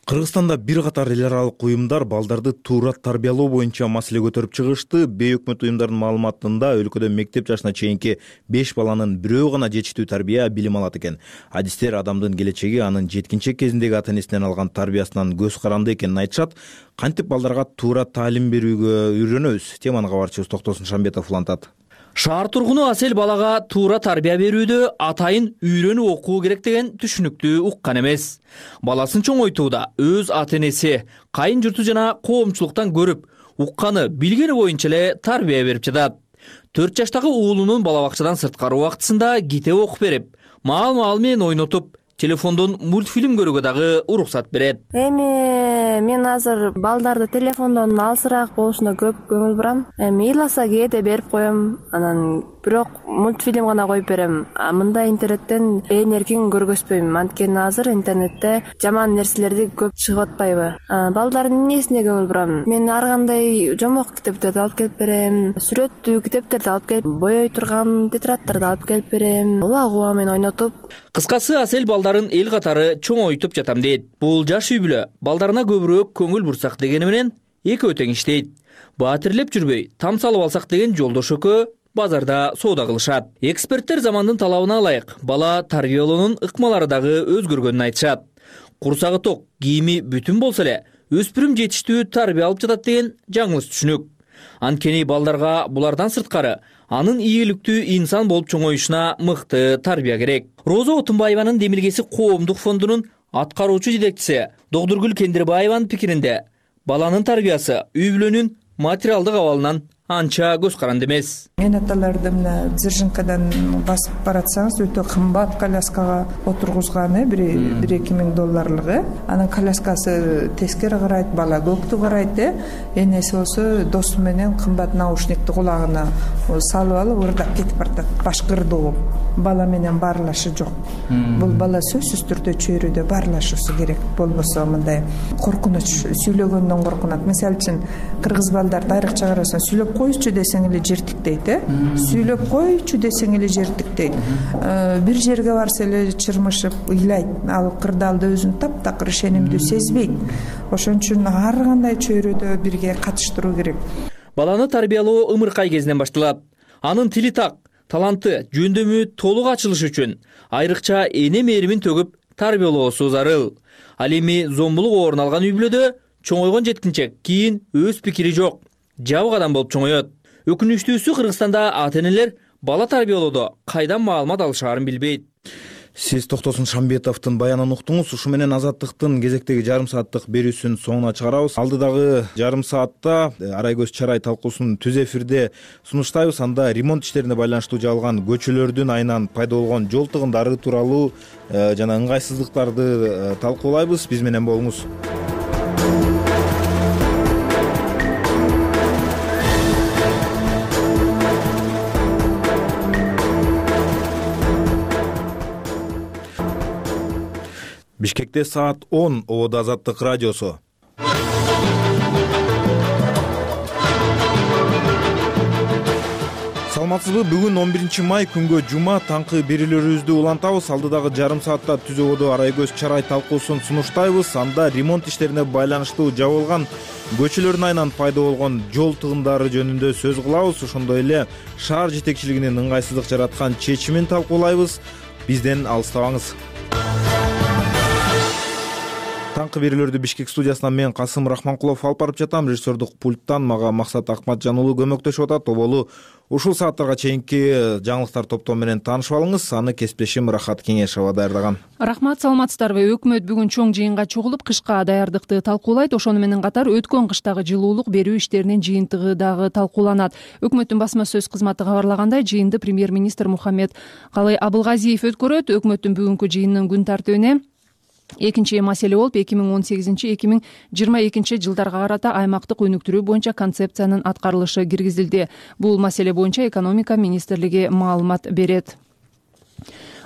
Кыргызстанда бир катар эл аралык уюмдар балдарды туура тарбиялоо боюнча маселе көтөрүп чыгышты. Бейөкмөт уюмдардын маалыматында өлкөдө мектеп жашына чейинки беш баланын бирөө гана жетиштүү тарбия, билим алат экен. Адистер адамдын келечеги анын жеткинчек кезиндеги ата-энесинен алган тарбиясынан көз каранды экенин айтышат. Кантип балдарга туура таалим берүүгө үйрөнөбүз? Теманы кабарчыбыз Токтосун Шамбетов улантат. Шаар тургуну Асель балага туура тарбия берүүдө атайын үйрөнүп окуу керек деген түшүнүктү уккан эмес. Баласын чоңойтууда өз ата-энеси, кайын журту жана коомчулуктан көрүп, укканы, билгени боюнча эле тарбия берип жатат. төрт жаштагы уулунун бала бакчадан сырткары убактысында китеп окуп берип, маал-маал менен ойнотуп, телефондон мультфильм көрүүгө дагы уруксат берет. Эми мен азыр балдарды телефондон алысыраак болушуна көп көңүл бурам. Эми ыйласа кээде берип коем, анан бирок мультфильм гана коюп берем. А мындай интернеттен ээн эркин көргөзбөйм. Анткени азыр интернетте жаман нерселерди көп чыгып атпайбы? Балдардын эмнесине көңүл бурам? Мен ар кандай жомок китептерди алып келип берем, сүрөттүү китептерди алып келип, боёй турган тетрадтарды алып келип берем. Улак уба менен ойнотуп. Кыскасы, Асель балдарын эл катары чоңойтуп жатам дейт. Бул жаш үй бүлө балдарына көбүрөөк көңүл бурсак дегени менен экөө тең иштейт. Баатирлеп жүрбөй, там салып алсак деген Жолдош экөө базарда соода кылышат. Эксперттер замандын талабына ылайык бала тарбиялоонун ыкмалары дагы өзгөргөнүн айтышат. Курсагы ток, кийими бүтүн болсо эле өспүрүм жетиштүү тарбия алып жатат деген жаңылыш түшүнүк. Анткени балдарга булардан сырткары анын ийгиликтүү инсан болуп чоңоюшуна мыкты тарбия керек. Роза Отунбаеванын Демилгеси коомдук фондунун аткаруучу жетекчиси Догдургүл Кендирбаеванын пикиринде баланын тарбиясы үй бүлөнүн материалдык абалынан анча көз каранды эмес. Менаталарды мына Дзержинкадан басып баратсаңыз өтө кымбат коляскага отургузганы бир эки миң долларлыгы. Анын коляскасы тескери карайт, бала көктү карайт. Энеси болсо досу менен кымбат наушникти кулагына салып алып ырдап кетип баратат. Башкырдуу. Бала менен баарлашы жок. Бул бала сөзсүз түрдө чөйрөдө баарлашысы керек. Болбосо мындай коркунуч, сүйлөгөндөн коркунат. Мисалы үчүн кыргыз балдарды айрыкча карасаң сүйлөп койчу десең эле жиртиктейт. э сүйлөп койчу десең эле жер тиктейт. Бир жерге барса эле чырмышып ыйлайт, ал кырдаалда өзүн таптакыр ишенимдүү сезбейт. Ошон үчүн ар кандай чөйрөдө бирге катыштыруу керек. Баланы тарбиялоо ымыркай кезинен башталат. Анын тили так, таланты, жөндөмү толук ачылыш үчүн айрыкча эне мээримин төгүп тарбиялоосу зарыл. Ал эми зомбулук орун алган үй бүлөдө чоңойгон жеткинчек кийин өз пикири жок, жабык адам болуп чоңоет. Өкүнүчтүүсү Кыргызстанда ата-энелер бала тарбиялоодо кайдан маалымат алышаарын билбейт. Сиз Токтосун Шамбетовдун баянын уктуңуз. Ушу менен Азаттыктын кезектеги жарым сааттык берүүсүн соңуна чыгарабыз. Алдыдагы жарым саатта арай көз чарай талкуусун түз эфирде сунуштайбыз. Анда ремонт иштерине байланыштуу жабылган көчөлөрдүн айынан пайда болгон жол тыгындары тууралуу жана ыңгайсыздыктарды талкуулайбыз. Биз менен болуңуз. Бишкекте саат он. Ободо Азаттык радиосу. Саламатсызбы? Бүгүн он биринчи май күнгө жума таңкы берүүлөрүбүздү улантабыз. Алдыдагы жарым саатта түз ободо арай көз чарай талкуусун сунуштайбыз. Анда ремонт иштерине байланыштуу жабылган көчөлөрдүн айынан пайда болгон жол тыгындары жөнүндө сөз кылабыз. Ошондой эле шаар жетекчилигинин ыңгайсыздык жараткан чечимин талкуулайбыз. Бизден алыстабаңыз. Таңкы берүүлөрдү Бишкек студиясынан мен Касым Рахманкулов алып барып жатам. Режиссердук пульттан мага Максат Акматжан уулу көмөктөшүп атат. Оболу ушул сааттарга чейинки жаңылыктар топтому менен таанышып алыңыз. Аны кесиптешим Рахат Кеңешова даярдаган. Рахмат, саламатсыздарбы? Өкмөт бүгүн чоң жыйынга чогулуп, кышка даярдыкты талкуулайт. Ошону менен катар өткөн кыштагы жылуулук берүү иштеринин жыйынтыгы дагы талкууланат. Өкмөттүн басма сөз кызматы кабарлагандай, жыйынды премьер-министр Мухаммед Калый Абылгазиев өткөрөт. Өкмөттүн бүгүнкү жыйынынын күн тартибине экинчи маселе болуп эки миң он сегизинчи эки миң жыйырма экинчи жылдарга карата аймактык өнүктүрүү боюнча концепциянын аткарылышы киргизилди. Бул маселе боюнча экономика министрлиги маалымат берет.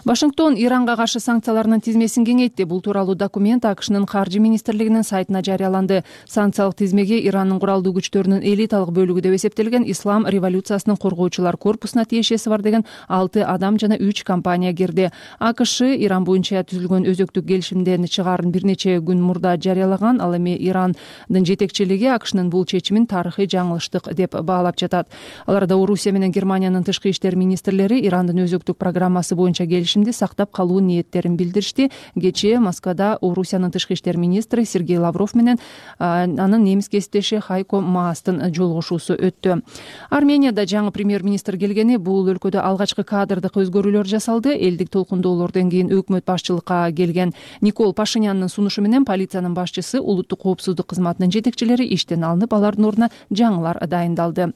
Вашингтон Иранга каршы санкцияларынын тизмесин кеңейтти. Бул тууралуу документ АКШнын каржы министрлигинин сайтына жарыяланды. Санкциялык тизмеге Ирандын куралдуу күчтөрүнүн элиталык бөлүгү деп эсептелген Ислам революциясынын коргоочулар корпусуна тиешеси бар деген алты адам жана үч компания кирди. АКШ Иран боюнча түзүлгөн өзөктүк келишимден чыгаарын бир нече күн мурда жарыялаган. Ал эми Ирандын жетекчилиги АКШнын бул чечимин тарыхый жаңылыштык деп баалап жатат. Аларда Орусия менен Германиянын тышкы иштер министрлери Ирандын өзөктүк программасы боюнча келишим сактап калуу ниеттерин билдиришти. Кечээ Москвада Орусиянын тышкы иштер министри Сергей Лавров менен анын немис кесиптеши Хайко Маастын жолугушуусу өттү. Арменияда жаңы премьер-министр келгени, бул өлкөдө алгачкы кадрдык өзгөрүүлөр жасалды. Элдик толкундоолордон кийин өкмөт башчылыкка келген Никол Пашинянын сунушу менен полициянын башчысы, улуттук коопсуздук кызматынын жетекчилери иштен алынып, алардын ордуна жаңылар дайындалды.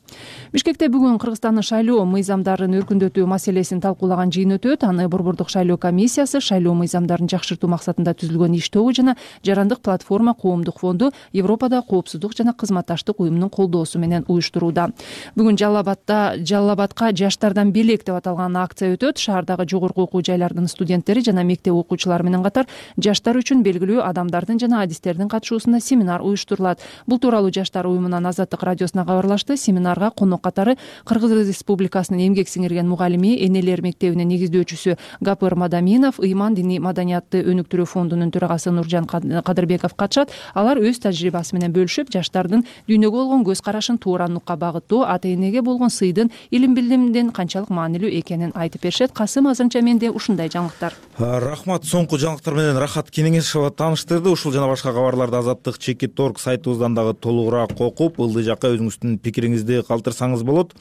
Бишкекте бүгүн Кыргызстандын шайлоо мыйзамдарын өркүндөтүү маселесин талкуулаган жыйын өтөт. Аны Борбордук шайлоо комиссиясы шайлоо мыйзамдарын жакшыртуу максатында түзүлгөн иш тобу жана Жарандык платформа коомдук фонду Европада коопсуздук жана кызматташтык уюмунун колдоосу менен уюштурууда. Бүгүн Жалал-Абадда Жалал-Абадка жаштардан белек деп аталган акция өтөт. Шаардагы жогорку окуу жайлардын студенттери жана мектеп окуучулары менен катар жаштар үчүн белгилүү адамдардын жана адистердин катышуусунда семинар уюштурулат. Бул тууралуу жаштар уюмунан Азаттык радиосуна кабарлашты. Семинарга конок катары Кыргыз Республикасынын эмгек сиңирген мугалими, энелер мектебинин негиздөөчүсү Гапыр Мадаминов, Ыйман диний маданиятты өнүктүрүү фондунун төрагасы Нуржан Кадырбеков катышат. Алар өз тажрыйбасы менен бөлүшүп, жаштардын дүйнөгө болгон көз карашын тууранылыкка багыттоо, ата-энеге болгон сыйдын, илим билимдин канчалык маанилүү экенин айтып беришет. Касым, азырынча менде ушундай жаңылыктар. Рахмат. Соңку жаңылыктар менен Рахат Кеңешова тааныштырды. Ушул жана башка кабарларды Азаттык чекит орг сайтыбыздан дагы толугураак окуп, ылдый жакка өзүңүздүн пикириңизди калтырсаңыз болот.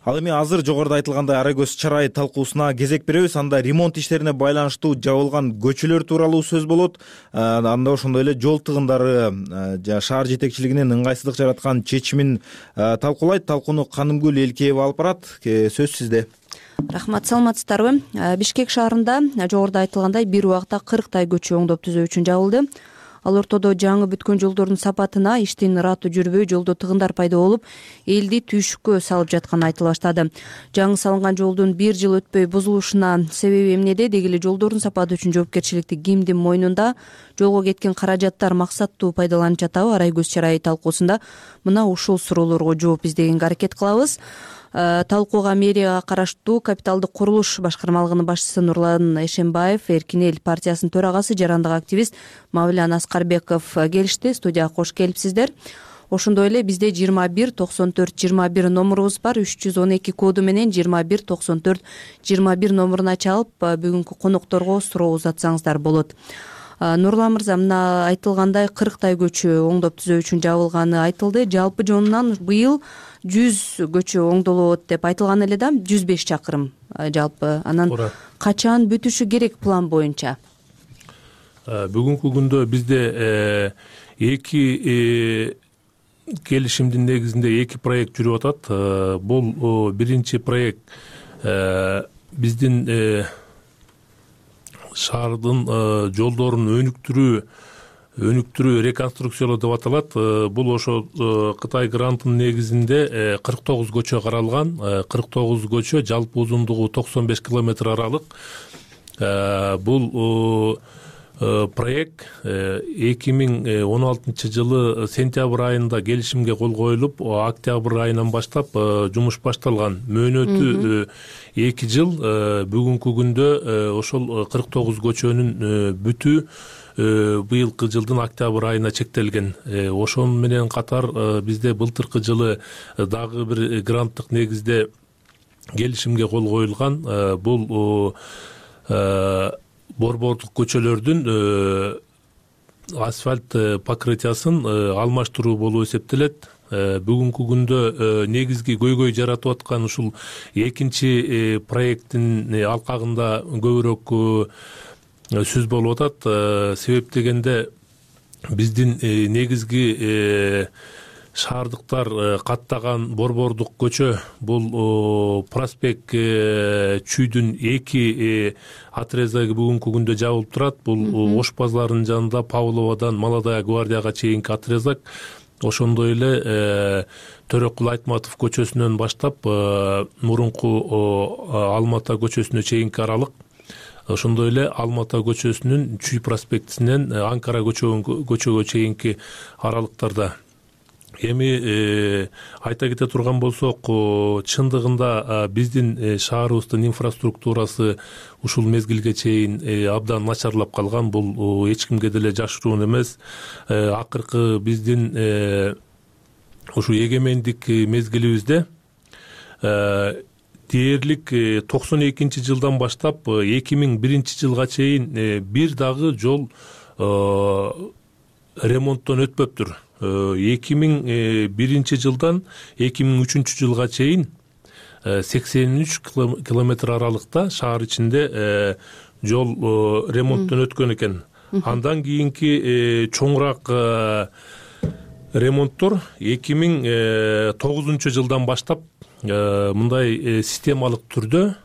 Ал эми азыр жогоруда айтылгандай арай көз чарай талкуусуна кезек беребиз. Анда ремонт иштерине байланыштуу жабылган көчөлөр тууралуу сөз болот. Анда ошондой эле жол тыгындары шаар жетекчилигинин ыңгайсыздык жараткан чечимин талкуулайт. Талкууну Канымгүл Элкеева алып барат. Сөз сизде. Рахмат, саламатсыздарбы? Бишкек шаарында жогоруда айтылгандай бир убакта кырктай көчө оңдоп түзөө үчүн жабылды. Ал ортодо жаңы бүткөн жолдордун сапатына, иштин ыраты жүрбөй, жолдо тыгындар пайда болуп, элди түйшүккө салып жатканы айтыла баштады. Жаңы салынган жолдун бир жыл өтпөй бузулушуна себеби эмнеде? Деги эле жолдордун сапаты үчүн жоопкерчиликти кимдин мойнунда? жолго кеткен каражаттар максаттуу пайдаланып жатабы? Арай көз чарайы талкуусунда мына ушул суроолорго жооп издегенге аракет кылабыз. Талкууга мэрияга караштуу капиталдык курулуш башкармалыгынын башчысы Нурлан Эшенбаев, Эркин эл партиясынын төрагасы, жарандык активист Мавлян Аскарбеков келишти. Студияга кош келипсиздер. Ошондой эле бизде жыйырма бир токсон төрт жыйырма бир номурубуз бар. үч жүз он эки коду менен жыйырма бир токсон төрт жыйырма бир номуруна чалып бүгүнкү конокторго суроо узатсаңыздар болот. Нурлан мырза, мына айтылгандай кырктай көчө оңдоп түзөө үчүн жабылганы айтылды. Жалпы жонунан быйыл жүз көчө оңдолот деп айтылган эле да, жүз беш чакырым жалпы. Анан качан бүтүшү керек план боюнча? Бүгүнкү күндө бизде эки келишимдин негизинде эки проект жүрүп атат. Бул биринчи проект биздин шаардын жолдорун өнүктүрүү өнүктүрүү реконструкциялоо деп аталат. Бул ошо Кытай грантынын негизинде кырк тогуз көчө каралган. кырк тогуз көчө, жалпы узундугу токсон беш километр аралык. Бул проект эки миң он алтынчы жылы сентябрь айында келишимге кол коюлуп, октябрь айынан баштап жумуш башталган. Мөөнөтү эки жыл. Бүгүнкү күндө ошол кырк тогуз көчөнүн бүтүү быйылкы жылдын октябрь айына чектелген. Ошону менен катар бизде былтыркы жылы дагы бир гранттык негизде келишимге кол коюлган. Бул борбордук көчөлөрдүн асфальт покрытиясын алмаштыруу болуп эсептелет. Бүгүнкү күндө негизги көйгөй жаратып аткан ушул экинчи проекттин алкагында көбүрөөк сөз болуп атат. Себеп дегенде биздин негизги шаардыктар каттаган борбордук көчө бул проспект чүйдүн эки отрезоги бүгүнкү күндө жабылып турат. Бул Ош базарынын жанында Павловадан Молодая гвардияга чейинки отрезок. Ошондой эле Төрөкул Айтматов көчөсүнөн баштап мурунку Алмата көчөсүнө чейинки аралык. Ошондой эле Алмата көчөсүнүн Чүй проспектисинен Анкара көчөгө чейинки аралыктарда. Эми айта кете турган болсок, чындыгында биздин шаарыбыздын инфраструктурасы ушул мезгилге чейин абдан начарлап калган. Бул эч кимге деле жашыруун эмес. Акыркы биздин ушу эгемендик мезгилибизде дээрлик токсон экинчи жылдан баштап эки миң биринчи жылга чейин бир дагы жол ремонттон өтпөптүр. эки миң биринчи жылдан эки миң үчүнчү жылга чейин сексен үч километр аралыкта шаар ичинде жол ремонттон өткөн экен. Андан кийинки чоңураак ремонттор эки миң тогузунчу жылдан баштап мындай системалык түрдө,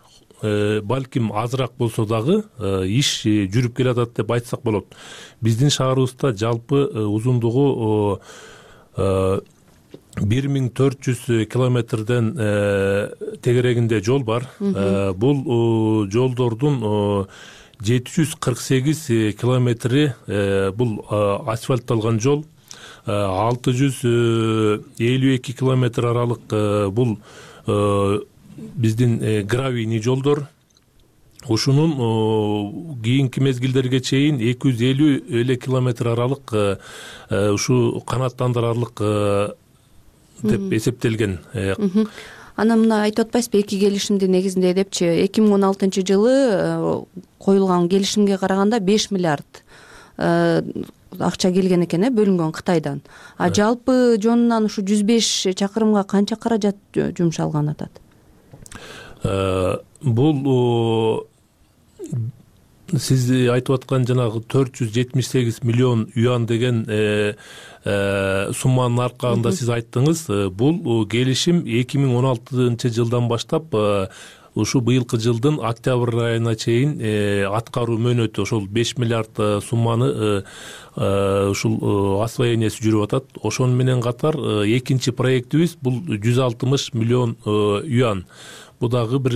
балким азыраак болсо дагы иш жүрүп келатат деп айтсак болот. Биздин шаарыбызда жалпы узундугу бир миң төрт жүз километрден тегерегинде жол бар. Бул жолдордун жети жүз кырк сегиз километри бул асфальтталган жол, алты жүз элүү эки километр аралык бул биздин гравийный жолдор. Ушунун кийинки мезгилдерге чейин эки жүз элүү эле километр аралык ушу канааттандырарлык деп эсептелген. Анан мына айтып атпайсызбы, эки келишимдин негизинде депчи эки миң он алтынчы жылы коюлган келишимге караганда беш миллиард акча келген экен, бөлүнгөн Кытайдан. А жалпы жонунан ушу жүз беш чакырымга канча каражат жумшалган атат? Бул сиз айтып аткан жанагы төрт жүз жетимиш сегиз миллион юан деген сумманын аркагында сиз айттыңыз. Бул келишим эки миң он алтынчы жылдан баштап ушу быйылкы жылдын октябрь айына чейин аткаруу мөөнөтү. Ошол беш миллиард сумманы ушул освоениясы жүрүп атат. Ошону менен катар экинчи проектибиз бул жүз алтымыш миллион юан. Бул дагы бир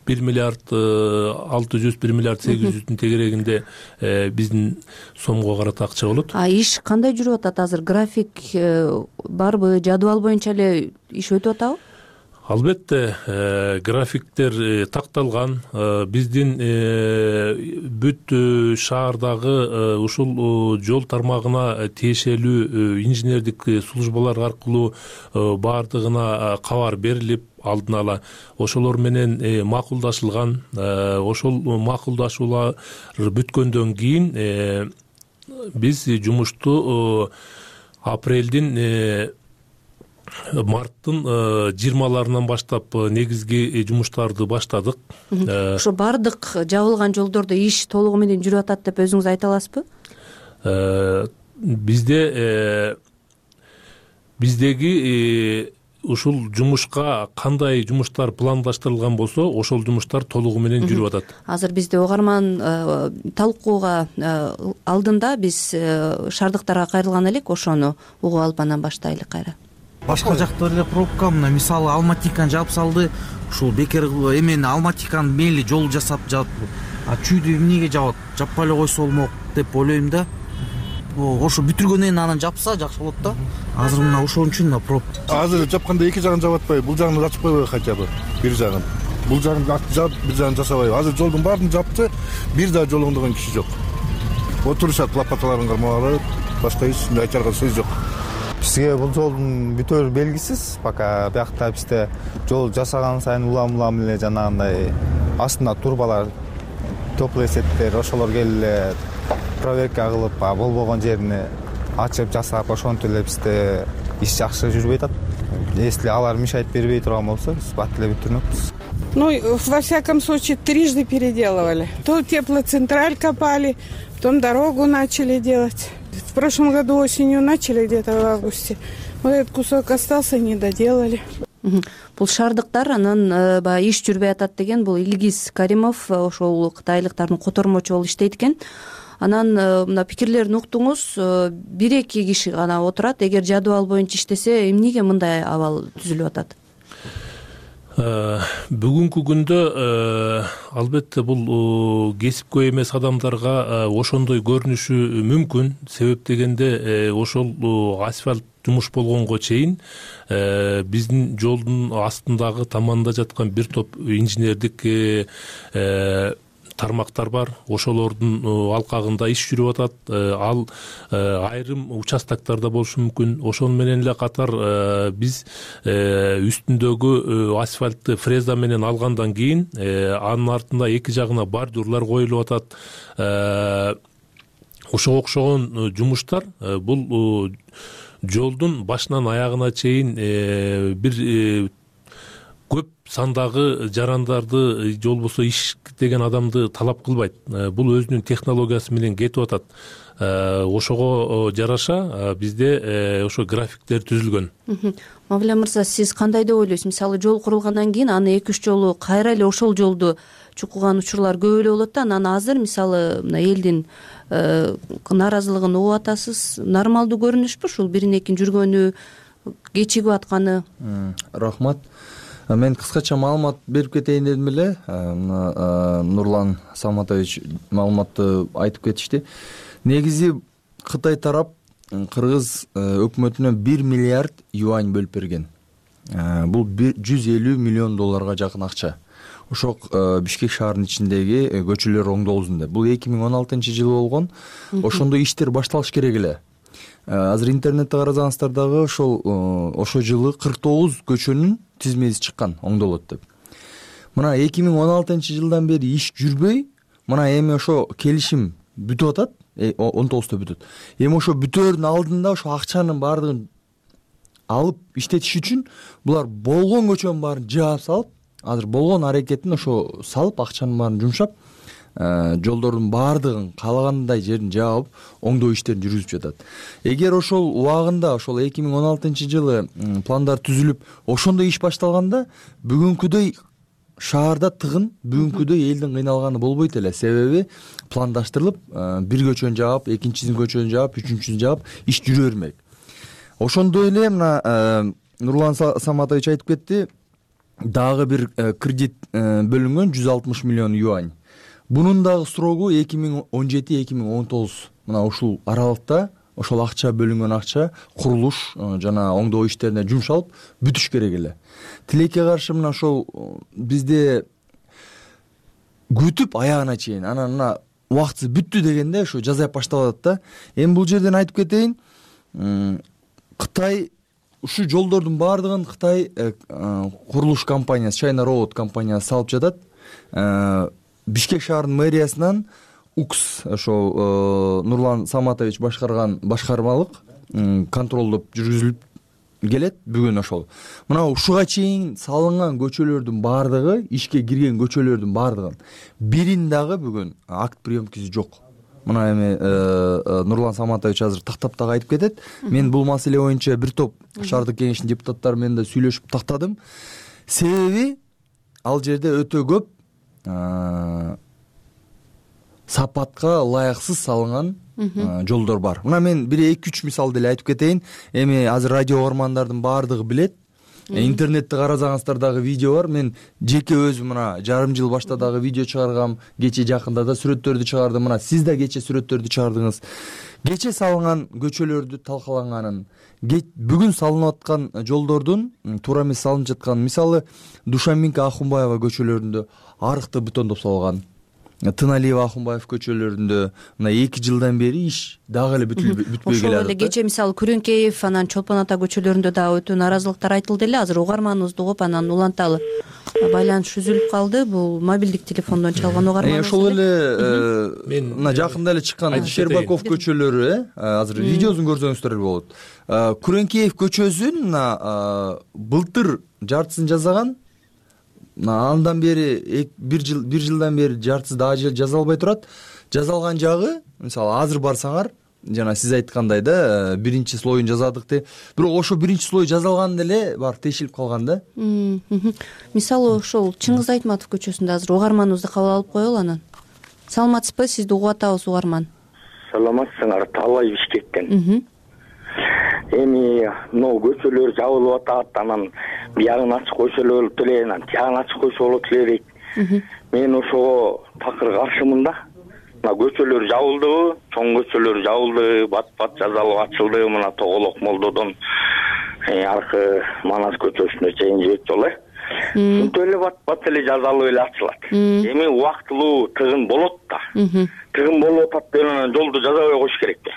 бир миллиард алты жүз бир миллиард сегиз жүздүн тегерегинде биздин сомго карата акча болот. А иш кандай жүрүп атат азыр? График барбы, жадыбал боюнча эле иш өтүп атабы? Албетте, графиктер такталган. Биздин бүт шаардагы ушул жол тармагына тиешелүү инженердик службалар аркылуу баардыгына кабар берилип, алдын ала ошолор менен макулдашылган. Ошол макулдашуулар бүткөндөн кийин биз жумушту апрелдин марттын жыйырмаларынан баштап негизги жумуштарды баштадык. Ошо бардык жабылган жолдордо иш толугу менен жүрүп атат деп өзүңүз айта аласызбы? Бизде биздеги ушул жумушка кандай жумуштар пландаштырылган болсо, ошол жумуштар толугу менен жүрүп атат. Азыр бизде угарман талкууга алдында биз шаардыктарга кайрылган элек, ошону угуп алып анан баштайлы кайра. Башка жакта эле пробка, мына мисалы Алматиканы жаап салды. Ушул бекер эмени Алматиканы мейли жол жасап жаап, а чүйдү эмнеге жабат? Жаппай эле койсо болмок деп ойлойм да. Ошо бүтүргөндөн кийин анан жапса жакшы болот да. Азыр мына ошон үчүн мына проб. Азыр жапканда эки жагын жаап атпайбы, бул жагын ачып койбойбу хотя бы бир жагын. Бул жагын жаап, бир жагын жасабайбы. Азыр жолдун баарын жапты, бир да жол оңдогон киши жок. Отурушат лопаталарын кармап, башка эч айтарга сөз жок. Бизге бул жолдун бүтөөрү белгисиз. Пока биякта бизде жол жасаган сайын улам-улам эле жанагындай астында турбалар, теплый сеттер, ошолор келип эле проверка кылып, болбогон жерин ачып жасап, ошентип эле бизде иш жакшы жүрбөй атат. Если алар мешать бербей турган болсо, биз бат эле бүтүрмөкпүз. Ну, во всяком случае, трижды переделывали. То теплоцентраль копали, потом дорогу начали делать. В прошлом году осенью начали, где-то в августе. Вот этот кусок остался, не доделали. Бул шаардыктар анан баягы иш жүрбөй атат деген бул Илгиз Каримов, ошол кытайлыктардын котормочу болуп иштейт экен. Анан мына пикирлерин уктуңуз, бир эки киши гана отурат. Эгер жадыбал боюнча иштесе, эмнеге мындай абал түзүлүп атат? Бүгүнкү күндө албетте бул кесипкөй эмес адамдарга ошондой көрүнүшү мүмкүн. Себеп дегенде ошол асфальт жумуш болгонго чейин биздин жолдун астындагы таманда жаткан бир топ инженердик тармактар бар. Ошолордун алкагында иш жүрүп атат. Ал айрым участоктарда болушу мүмкүн. Ошол менен эле катар биз үстүндөгү асфальтты фреза менен алгандан кийин анын артында эки жагына бордюрлар коюлуп атат. Ошого окшогон жумуштар бул жолдун башынан аягына чейин бир көп сандагы жарандарды же болбосо иш деген адамды талап кылбайт. Бул өзүнүн технологиясы менен кетип атат. Ошого жараша бизде ошо графиктер түзүлгөн. Мавля мырза, сиз кандай деп ойлойсуз? Мисалы жол курулгандан кийин аны эки үч жолу кайра эле ошол жолду чукуган учурлар көп эле болот да. Анан азыр мисалы мына элдин нааразылыгын угуп атасыз. Нормалдуу көрүнүшпү ушул бирин экин жүргөнү, кечигип атканы? Рахмат. Мен кыскача маалымат берип кетейин дедим эле. Нурлан Салматович маалыматты айтып кетишти. Негизи Кытай тарап Кыргыз өкмөтүнө бир миллиард юань бөлүп берген. Бул жүз элүү миллион долларга жакын акча. Ошол Бишкек шаарынын ичиндеги көчөлөр оңдолсун деп. Бул эки миң он алтынчы жылы болгон. Ошондо иштер башталыш керек эле. Азыр интернетте карасаңыздар дагы ошол ошол жылы кырк тогуз көчөнүн тизмеси чыккан, оңдолот деп. Мына эки миң он алтынчы жылдан бери иш жүрбөй, мына эми ошо келишим бүтүп атат, он тогузда бүтөт. Эми ошо бүтөөрдүн алдында ошо акчанын баардыгын алып иштетиш үчүн булар болгон көчөнүн баарын жаап салып, азыр болгон аракетин ошо салып, акчанын баарын жумшап, жолдордун баардыгын каалагандай жерин жаап, оңдоо иштерин жүргүзүп жатат. Эгер ошол убагында, ошол эки миң он алтынчы жылы пландар түзүлүп, ошондой иш башталганда, бүгүнкүдөй шаарда тыгын, бүгүнкүдөй элдин кыйналганы болбойт эле. Себеби пландаштырылып, бир көчөнү жаап, экинчисин көчөнү жаап, үчүнчүсүн жаап, иш жүрө бермек. Ошондой эле мына Нурлан Саматович айтып кетти. дагы бир кредит бөлүнгөн жүз алтымыш миллион юань. Бунун дагы срогу эки миң он жети эки миң он тогуз мына ушул аралыкта ошол акча бөлүнгөн акча курулуш жана оңдоо иштерине жумшалып бүтүш керек эле. Тилекке каршы мына ошол бизде күтүп аягына чейин анан мына убактысы бүттү дегенде ошо жазап баштап атат да. Эми бул жерден айтып кетейин, Кытай ушул жолдордун баардыгын Кытай курулуш компаниясы China Road компаниясы салып жатат. Бишкек шаарынын мэриясынан укс ошол Нурлан Саматович башкарган башкармалык контролдоп жүргүзүлүп келет бүгүн ошол. Мына ушуга чейин салынган көчөлөрдүн баардыгы, ишке кирген көчөлөрдүн баардыгын бирин дагы бүгүн акт приемкасы жок. Мына эми Нурлан Саматович азыр тактап дагы айтып кетет. Мен бул маселе боюнча бир топ шаардык кеңештин депутаттары менен да сүйлөшүп тактадым. Себеби ал жерде өтө көп сапатка ылайыксыз салынган жолдор бар. Мына мен бир эки үч мисал деле айтып кетейин. Эми азыр радио угармандардын баардыгы билет. Интернетте карасаңыздар дагы видео бар. Мен жеке өзүм мына жарым жыл башта дагы видео чыгаргам. Кече жакында да сүрөттөрдү чыгардым. Мына сиз да кече сүрөттөрдү чыгардыңыз. Кече салынган көчөлөрдү талкаланганын, бүгүн салынып аткан жолдордун туура эмес салынып жаткан, мисалы Душанбенко Ахунбаева көчөлөрүндө арыкты бетондоп салган. Тыналиева Ахунбаев көчөлөрүндө мына эки жылдан бери иш дагы эле бүтпөй келе атат. Ошол эле кече мисалы Күрөңкеев, анан Чолпон ата көчөлөрүндө дагы өтө нааразылыктар айтылды эле. Азыр угарманыбызды угуп анан уланталы. Байланыш үзүлүп калды. Бул мобилдик телефондон чалган угарман. Ошол эле мына жакында эле чыккан Щербаков көчөлөрү, азыр видеосун көрсөңүздөр эле болот. Күрөңкеев көчөсүн мына былтыр жартысын жасаган. Андан бери бир жыл бир жылдан бери жартысы дагы жазалбай турат. Жазалган жагы, мисалы азыр барсаңар, жана сиз айткандай да, биринчи слоюн жазадык деп, бирок ошо биринчи слой жазалган деле бар тешилип калган да. Мисалы ошол Чыңгыз Айтматов көчөсүндө азыр угарманыбызды кабыл алып коелу анан. Саламатсызбы, сизди угуп атабыз угарман. Саламатсыңар, Таалай Бишкектен. Эми могу көчөлөр жабылып атат, анан биягын ачык койсо эле болот эле, анан тиягын ачык койсо болот эле дейт. Мен ошого такыр каршымын да. Мына көчөлөр жабылдыбы, чоң көчөлөр жабылды, бат-бат жазалып ачылды, мына Тоголок Молдодон аркы Манас көчөсүнө чейин жибек жол э. Ушинтип эле бат-бат эле жазалып эле ачылат. Эми убактылуу тыгын болот да. Тыгын болуп атат деп анан жолду жазабай коюш керек да.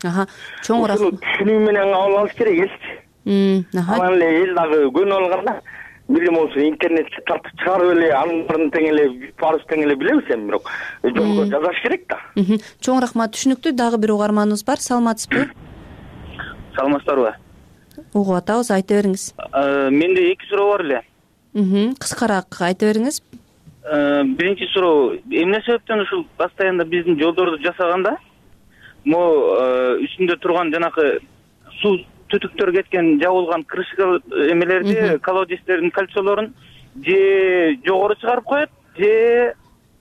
Аха, чоң рахмат. Түшүнүү менен кабыл алыш керек элчи. Анан эле эл дагы көнүп алганда бир болсо интернетке тартып чыгарып эле анын тең эле парыз тең эле билебиз эми, бирок жолго жазаш керек да. Чоң рахмат, түшүнүктүү. Дагы бир угарманыбыз бар. Саламатсызбы? Саламатсыздарбы? Угуп атабыз, айта бериңиз. Менде эки суроо бар эле. Кыскараак айта бериңиз. Биринчи суроо, эмне себептен ушул постоянно биздин жолдорду жасаганда могу үстүндө турган жанакы суу түтүктөр кеткен жабылган крышка эмелерди, колодецтердин кольцолорун же жогору чыгарып коет, же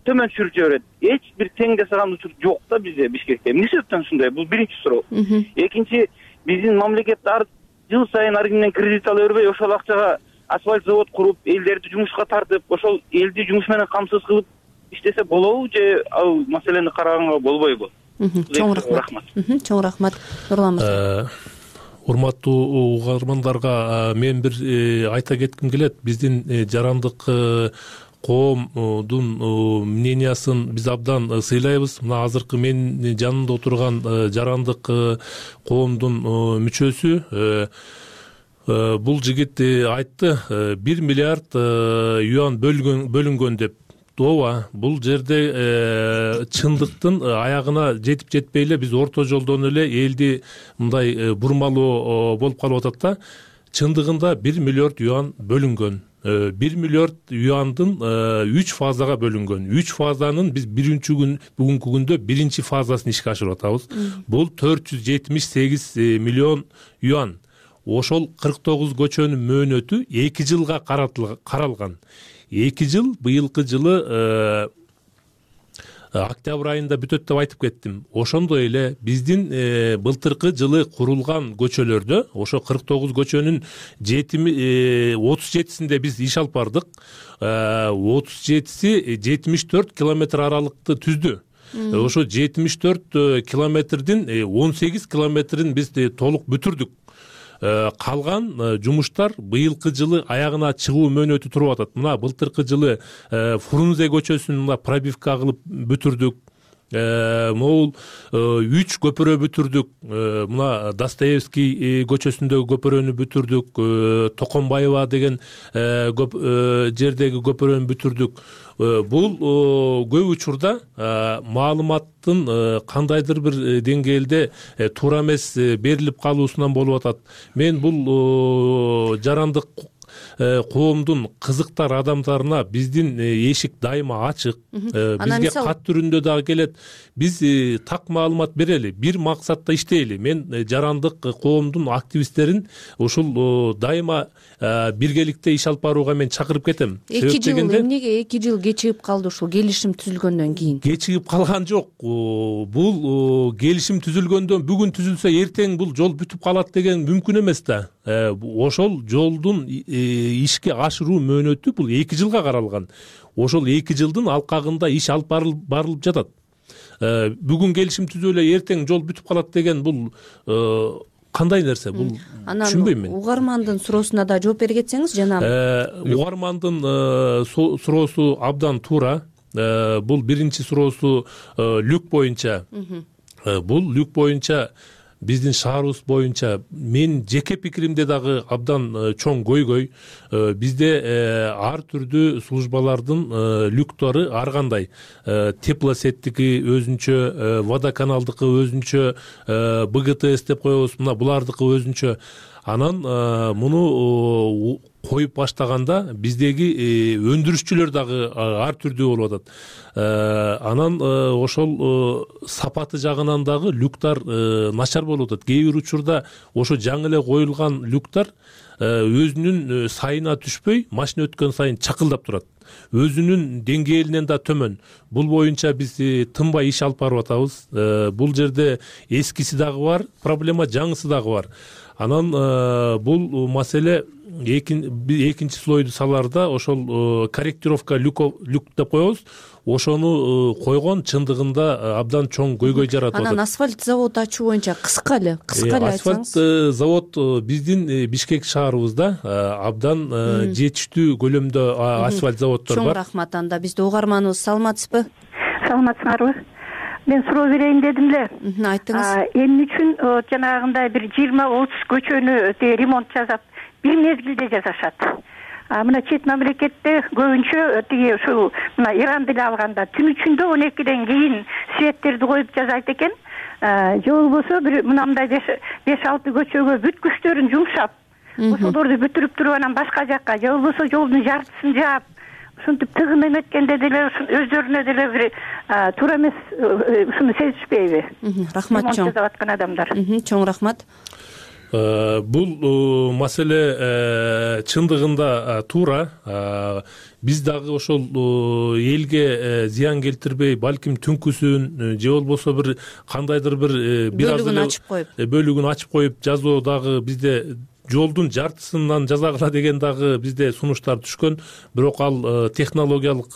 төмөн түшүрүп жиберет. Эч бир тең жасаган учур жок да бизде Бишкекте. Эмне себептен ушундай? Бул биринчи суроо. Экинчи, биздин мамлекет ар жыл сайын ар кимден кредит ала бербей, ошол акчага асфальт завод куруп, элдерди жумушка тартып, ошол элди жумуш менен камсыз кылып иштесе болобу же ал маселени караганга болбойбу? Чоң рахмат. Чоң рахмат. Нурлан мырза. Урматтуу угармандарга мен бир айта кетким келет. Биздин жарандык коомдун мнениясын биз абдан сыйлайбыз. Мына азыркы мен жанымда отурган жарандык коомдун мүчөсү бул жигит айтты, бир миллиард юан бөлүнгөн деп. Ооба, бул жерде чындыктын аягына жетип жетпей эле биз орто жолдон эле элди мындай бурмалоо болуп калып атат да. Чындыгында бир миллиард юан бөлүнгөн. бир миллиард юандын үч фазага бөлүнгөн. үч фазанын биз биринчи күн бүгүнкү күндө биринчи фазасын ишке ашырып атабыз. Бул төрт жүз жетимиш сегиз миллион юан. Ошол кырк тогуз көчөнүн мөөнөтү эки жылга каралган. эки жыл, быйылкы жылы октябрь айында бүтөт деп айтып кеттим. Ошондой эле биздин былтыркы жылы курулган көчөлөрдө ошо кырк тогуз көчөнүн отуз жетисинде биз иш алып бардык. отуз жетиси жетимиш төрт километр аралыкты түздү. Ошо жетимиш төрт километрдин он сегиз километрин биз толук бүтүрдүк. Калган жумуштар быйылкы жылы аягына чыгуу мөөнөтү туруп атат. Мына былтыркы жылы Фрунзе көчөсүн мына пробивка кылып бүтүрдүк. Могул үч көпүрө бүтүрдүк. Мына Достоевский көчөсүндөгү көпүрөнү бүтүрдүк. Токомбаева деген жердеги көпүрөнү бүтүрдүк. Бул көп учурда маалыматтын кандайдыр бир деңгээлде туура эмес берилип калуусунан болуп атат. Мен бул жарандык коомдун кызыктар адамдарына биздин эшик дайыма ачык. Бизге кат түрүндө дагы келет. Биз так маалымат берели, бир максатта иштейли. Мен жарандык коомдун активисттерин ушул дайыма биргеликте иш алып барууга мен чакырып кетем. эки жыл эмнеге эки жыл кечигип калды ушул келишим түзүлгөндөн кийин? Кечигип калган жок. Бул келишим түзүлгөндөн бүгүн түзүлсө эртең бул жол бүтүп калат деген мүмкүн эмес да. Ошол жолдун ишке ашыруу мөөнөтү бул эки жылга каралган. Ошол эки жылдын алкагында иш алып барылып жатат. Бүгүн келишим түзүп эле эртең жол бүтүп калат деген бул кандай нерсе? Бул түшүнбөйм мен. Угармандын суроосуна да жооп бере кетсеңиз жана. Угармандын суроосу абдан туура. Бул биринчи суроосу люк боюнча. Бул люк боюнча биздин шаарыбыз боюнча мен жеке пикиримде дагы абдан чоң көйгөй. Бизде ар түрдүү службалардын люктору ар кандай. Теплосеттики өзүнчө, водоканалдыкы өзүнчө, бэ гэ тэ эс деп коебуз, мына булардыкы өзүнчө. Анан муну коюп баштаганда биздеги өндүрүшчүлөр дагы ар түрдүү болуп атат. Анан ошол сапаты жагынан дагы люктар начар болуп атат. Кээ бир учурда ошо жаңы эле коюлган люктар өзүнүн сайына түшпөй, машина өткөн сайын чакылдап турат. Өзүнүн деңгээлинен да төмөн. Бул боюнча биз тынбай иш алып барып атабыз. Бул жерде эскиси дагы бар, проблема жаңысы дагы бар. Анан бул маселе экинчи слойду саларда ошол корректировка люк деп коебуз. Ошону койгон чындыгында абдан чоң көйгөй жаратып атат. Анан асфальт завод ачуу боюнча кыска эле, кыска эле айтсаңыз. Асфальт завод биздин Бишкек шаарыбызда абдан жетиштүү көлөмдө асфальт заводдор бар. Чоң рахмат. Анда бизде угарманыбыз, саламатсызбы? Саламатсыңарбы? Мен суроо берейин дедим эле. Айттыңыз. Эмне үчүн жанагындай бир жыйырма отуз көчөнү ремонт жасап бир мезгилде жасашат? Мына чет мамлекетте көбүнчө тиги ушул мына Иран деле алганда түн ичинде он экиден кийин светтерди коюп жасайт экен. Же болбосо бир мындай беш алты көчөгө бүт күчтөрүн жумшап, ошолорду бүтүрүп туруп анан башка жакка, же болбосо жолдун жартысын жаап, ушинтип тыгын эметкенде деле өздөрүнө деле бир туура эмес ушуну сезишпейби? Рахмат чоң. Жасап аткан адамдар. Чоң рахмат. Бул маселе чындыгында туура. Биз дагы ошол элге зыян келтирбей, балким түнкүсүн же болбосо бир кандайдыр бир бир аз эле бөлүгүн ачып коюп жазуу дагы бизде жолдун жартысынан жазагыла деген дагы бизде сунуштар түшкөн. Бирок ал технологиялык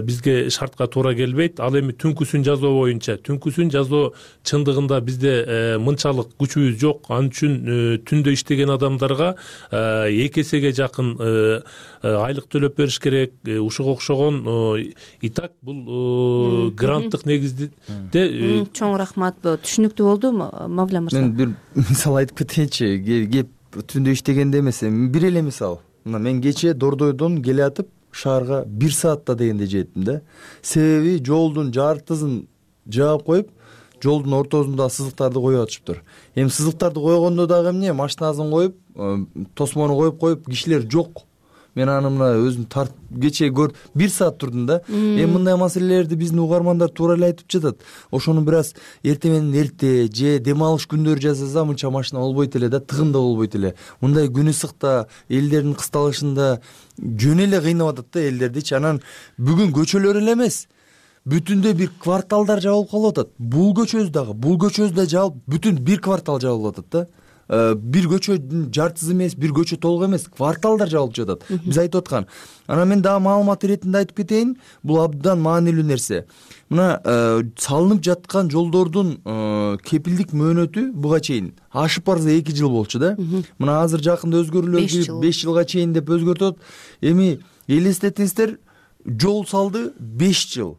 бизге шартка туура келбейт. Ал эми түнкүсүн жазуу боюнча, түнкүсүн жазуу чындыгында бизде мынчалык күчүбүз жок. Ал үчүн түндө иштеген адамдарга эки эсеге жакын айлык төлөп бериш керек. Ушуга окшогон и так бул гранттык негизде. Чоң рахмат. Түшүнүктүү болду, Мавля мырза. Мен бир мисал айтып кетейинчи. Кеп түндө иштегенде эмес, бир эле мисал. Мына мен кечээ Дордойдон келе атып шаарга бир саатта дегенде жеттим да. Себеби жолдун жартысын жаап коюп, жолдун ортосунда сызыктарды коюп атышыптыр. Эми сызыктарды койгондо дагы эмне, машинасын коюп, тосмону коюп коюп, кишилер жок. Мен аны мына өзүм тарт кечээ көр бир саат турдум да. Эми мындай маселелерди биздин угармандар туура эле айтып жатат. Ошону бир аз эрте менен эрте же дем алыш күндөрү жасаса мынча машина болбойт эле да, тыгын да болбойт эле. Мындай күн ысыкта, элдердин кысталышында жөн эле кыйнап атат да элдердичи. Анан бүгүн көчөлөр эле эмес, бүтүндөй бир кварталдар жабылып калып атат. Бул көчөбүз дагы, бул көчөбүз да жабылып, бүтүн бир квартал жабылып атат да. Бир көчөнүн жартысы эмес, бир көчө толук эмес, кварталдар жабылып жатат. Биз айтып аткан. Анан мен дагы маалымат иретинде айтып кетейин, бул абдан маанилүү нерсе. Мына салынып жаткан жолдордун кепилдик мөөнөтү буга чейин ашып барса эки жыл болчу да. Мына азыр жакында өзгөрүүлөр кирип беш жылга чейин деп өзгөртөт. Эми элестетиңиздер, жол салды беш жыл.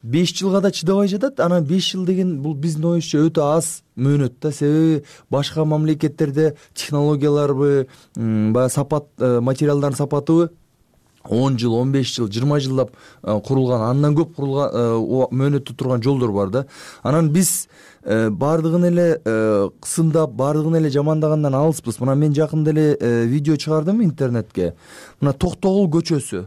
беш жылга да чыдабай жатат. Анан беш жыл деген бул биздин оюбузча өтө аз мөөнөт да. Себеби башка мамлекеттерде технологияларбы, баягы сапат, материалдардын сапатыбы он жыл, он беш жыл, жыйырма жылдап курулган, андан көп курулган мөөнөттө турган жолдор бар да. Анан биз баардыгын эле кысымдап, баардыгын эле жамандагандан алыспыз. Мына мен жакында эле видео чыгардым интернетке. Мына Токтогул көчөсү.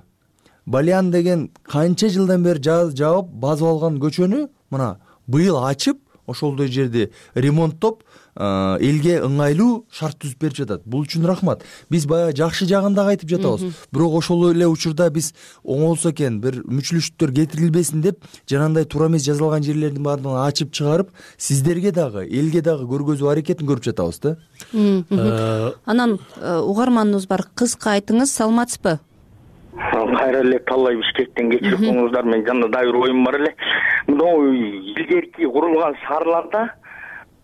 Балян деген канча жылдан бери жабып, базып алган көчөнү мына быйыл ачып, ошолдой жерди ремонттоп, элге ыңгайлуу шарт түзүп берип жатат. Бул үчүн рахмат. Биз баягы жакшы жагын дагы айтып жатабыз. Бирок ошол эле учурда биз оңолсо экен, бир мүчүлүштүктөр кетирилбесин деп, жанагындай туура эмес жазылган жерлердин баардыгын ачып чыгарып, сиздерге дагы, элге дагы көргөзүү аракетин көрүп жатабыз да. Анан угарманыбыз бар, кыска айтыңыз, саламатсызбы? Кайра эле Таллай Бишкектен кечирип коюңуздар, мен жанда дагы бир оюм бар эле. Мына илгерки курулган шаарларда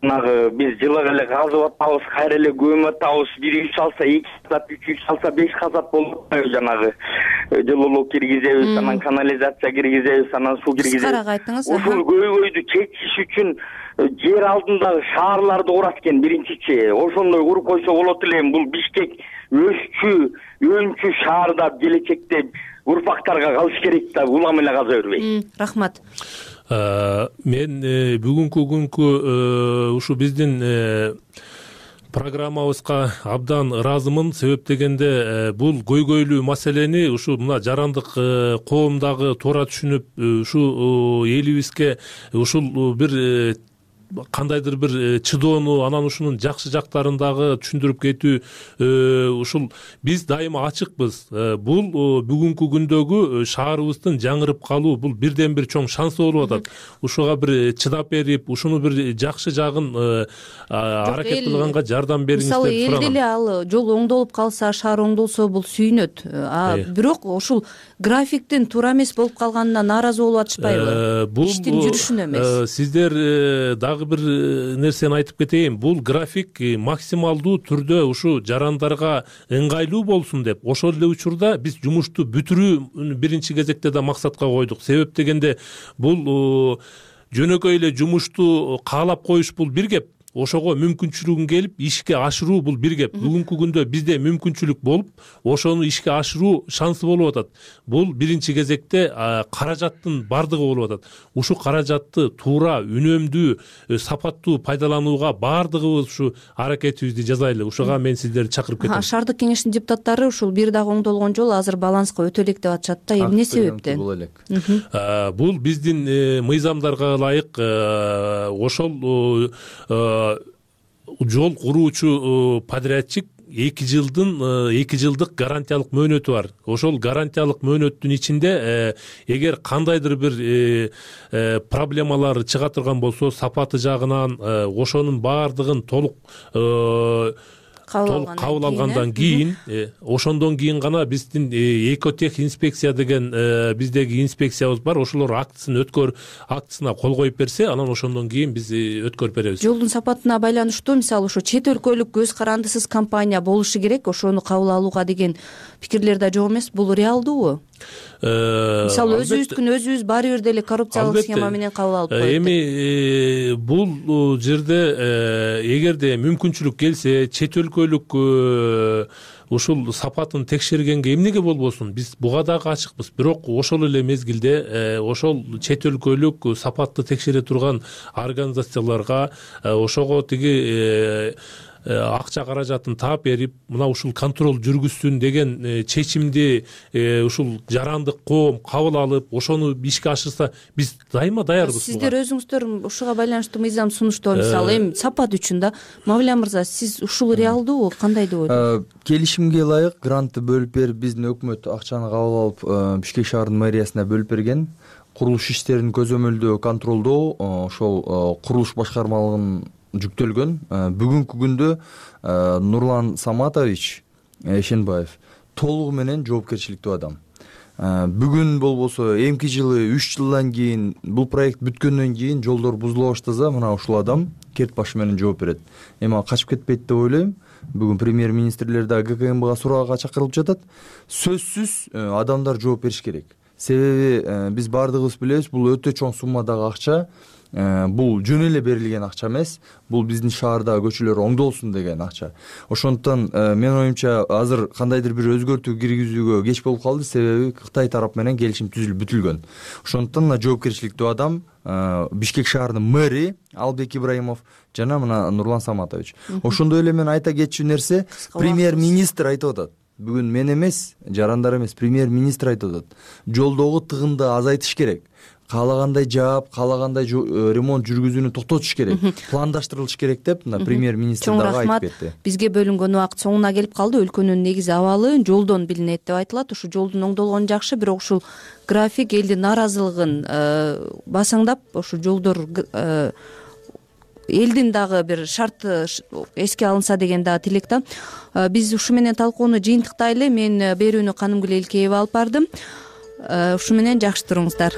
мынагы биз жылык эле казып атабыз, кайра эле көмүп атабыз, бир үй салса эки казат, үч үй салса беш казат болуп атпайбы, жанагы жылуулук киргизебиз, анан канализация киргизебиз, анан суу киргизебиз. Кыскараак айтыңыз. Ушул көйгөйдү чечиш үчүн жер алдындагы шаарларды курат экен биринчичи. Ошондой куруп койсо болот эле. Бул Бишкек өсчү, өнчү шаарда келечекте урпактарга калыш керек да, улам эле каза бербей. Рахмат. Мен бүгүнкү күnkү ушу биздин программабызга абдан ыраазымын. Себеп дегенде бул көйгөйлүү маселени ушу мына жарандык коомдагы туура түшүнүп, ушу элибизге ушул бир кандайдыр бир чыдоону, анан ушунун жакшы жактарын дагы түшүндүрүп кетүү, ушул биз дайыма ачыкпыз. Бул бүгүнкү күндөгү шаарыбыздын жаңырып калуу, бул бирден бир чоң шанс болуп атат. Ушуга бир чыдап берип, ушуну бир жакшы жагын аракет кылганга жардам бериңиз деп сураган. Мисалы, элде эле ал жол оңдолуп калса, шаар оңдолсо бул сүйүнөт. А бирок ушул графиктин туура эмес болуп калганына нааразы болуп атышпайбы? Иштин жүрүшүнө эмес. Сиздер дагы бир нерсени айтып кетейин. Бул график максималдуу түрдө ушу жарандарга ыңгайлуу болсун деп, ошол эле учурда биз жумушту бүтүрүү биринчи кезекте да максатка койдук. Себеп дегенде бул жөнөкөй эле жумушту каалап коюш бул бир кеп, ошого мүмкүнчүлүгүн келип ишке ашыруу бул бир кеп. Бүгүнкү күндө бизде мүмкүнчүлүк болуп, ошону ишке ашыруу шансы болуп атат. Бул биринчи кезекте каражаттын бардыгы болуп атат. Ушу каражатты туура, үнөмдүү, сапаттуу пайдаланууга бардыгыбыз ушу аракетибизди жасайлы. Ушуга мен сиздерди чакырып кетем. Шаардык кеңештин депутаттары ушул бир дагы оңдолгон жол азыр баланска өтө элек деп атышат да. Эмне себептен? Бул биздин мыйзамдарга ылайык ошол жол куруучу подрядчик эки жылдын эки жылдык гарантиялык мөөнөтү бар. Ошол гарантиялык мөөнөттүн ичинде эгер кандайдыр бир проблемалар чыга турган болсо, сапаты жагынан ошонун баардыгын толук толук кабыл алгандан кийин, ошондон кийин гана биздин экотех инспекция деген биздеги инспекциябыз бар. Ошолор актысын өткөр актысына кол коюп берсе, анан ошондон кийин биз өткөрүп беребиз. Жолдун сапатына байланыштуу, мисалы, ошо чет өлкөлүк көз карандысыз компания болушу керек, ошону кабыл алууга деген пикирлер да жок эмес. Бул реалдуубу? Мисалы, өзүбүздүн өзүбүз баары бир деле коррупциялык схема менен кабыл алып коет. Эми бул жерде эгерде мүмкүнчүлүк келсе, чет өлкөлүк ушул сапатын текшергенге эмнеге болбосун, биз буга дагы ачыкпыз. Бирок ошол эле мезгилде ошол чет өлкөлүк сапатты текшере турган организацияларга ошого тиги акча каражатын таап берип, мына ушул контроль жүргүзсүн деген чечимди ушул жарандык коом кабыл алып, ошону ишке ашырса, биз дайыма даярбыз. Сиздер өзүңүздөр ушуга байланыштуу мыйзам сунуштоо, мисалы, эми сапат үчүн да. Мавля мырза, сиз ушул реалдуубу, кандай деп ойлойсуз? Келишимге ылайык грантты бөлүп берип, биздин өкмөт акчаны кабыл алып, Бишкек шаарынын мэриясына бөлүп берген. курулуш иштерин көзөмөлдөө, контролдоо ошол курулуш башкармалыгынын жүктөлгөн. Бүгүнкү күндө Нурлан Саматович Эшенбаев толугу менен жоопкерчиликтүү адам. Бүгүн болбосо эмки жылы үч жылдан кийин бул проект бүткөндөн кийин жолдор бузула баштаса, мына ушул адам керт башы менен жооп берет. Эми ал качып кетпейт деп ойлойм. Бүгүн премьер-министрлер да ГКМБга суракка чакырылып жатат. Сөзсүз адамдар жооп бериш керек. Себеби биз баардыгыбыз билебиз, бул өтө чоң суммадагы акча. Бул жөн эле берилген акча эмес, бул биздин шаардагы көчөлөр оңдолсун деген акча. Ошондуктан менин оюмча азыр кандайдыр бир өзгөртүү киргизүүгө кеч болуп калды, себеби Кытай тарап менен келишим түзүлүп бүтүлгөн. Ошондуктан жоопкерчиликтүү адам Бишкек шаарынын мэри Албек Ибраимов жана мына Нурлан Саматович. Ошондой эле мен айта кетчү нерсе, премьер-министр айтып атат. Бүгүн мен эмес, жарандар эмес, премьер-министр айтып атат. Жолдогу тыгынды азайтыш керек. Каалагандай жаап, каалагандай ремонт жүргүзүүнү токтотуш керек, пландаштырылыш керек деп мына премьер-министр дагы айтып кетти. Бизге бөлүнгөн убакыт соңуна келип калды. Өлкөнүн негизи абалы жолдон билинет деп айтылат. Ушу жолдун оңдолгону жакшы, бирок ушул график элдин нааразылыгын басаңдап, ушу жолдор элдин дагы бир шарты эске алынса деген дагы тилек да. Биз ушу менен талкууну жыйынтыктайлы. Мен берүүнү Канымгүл Элкеева алып бардым. Ушу менен жакшы туруңуздар.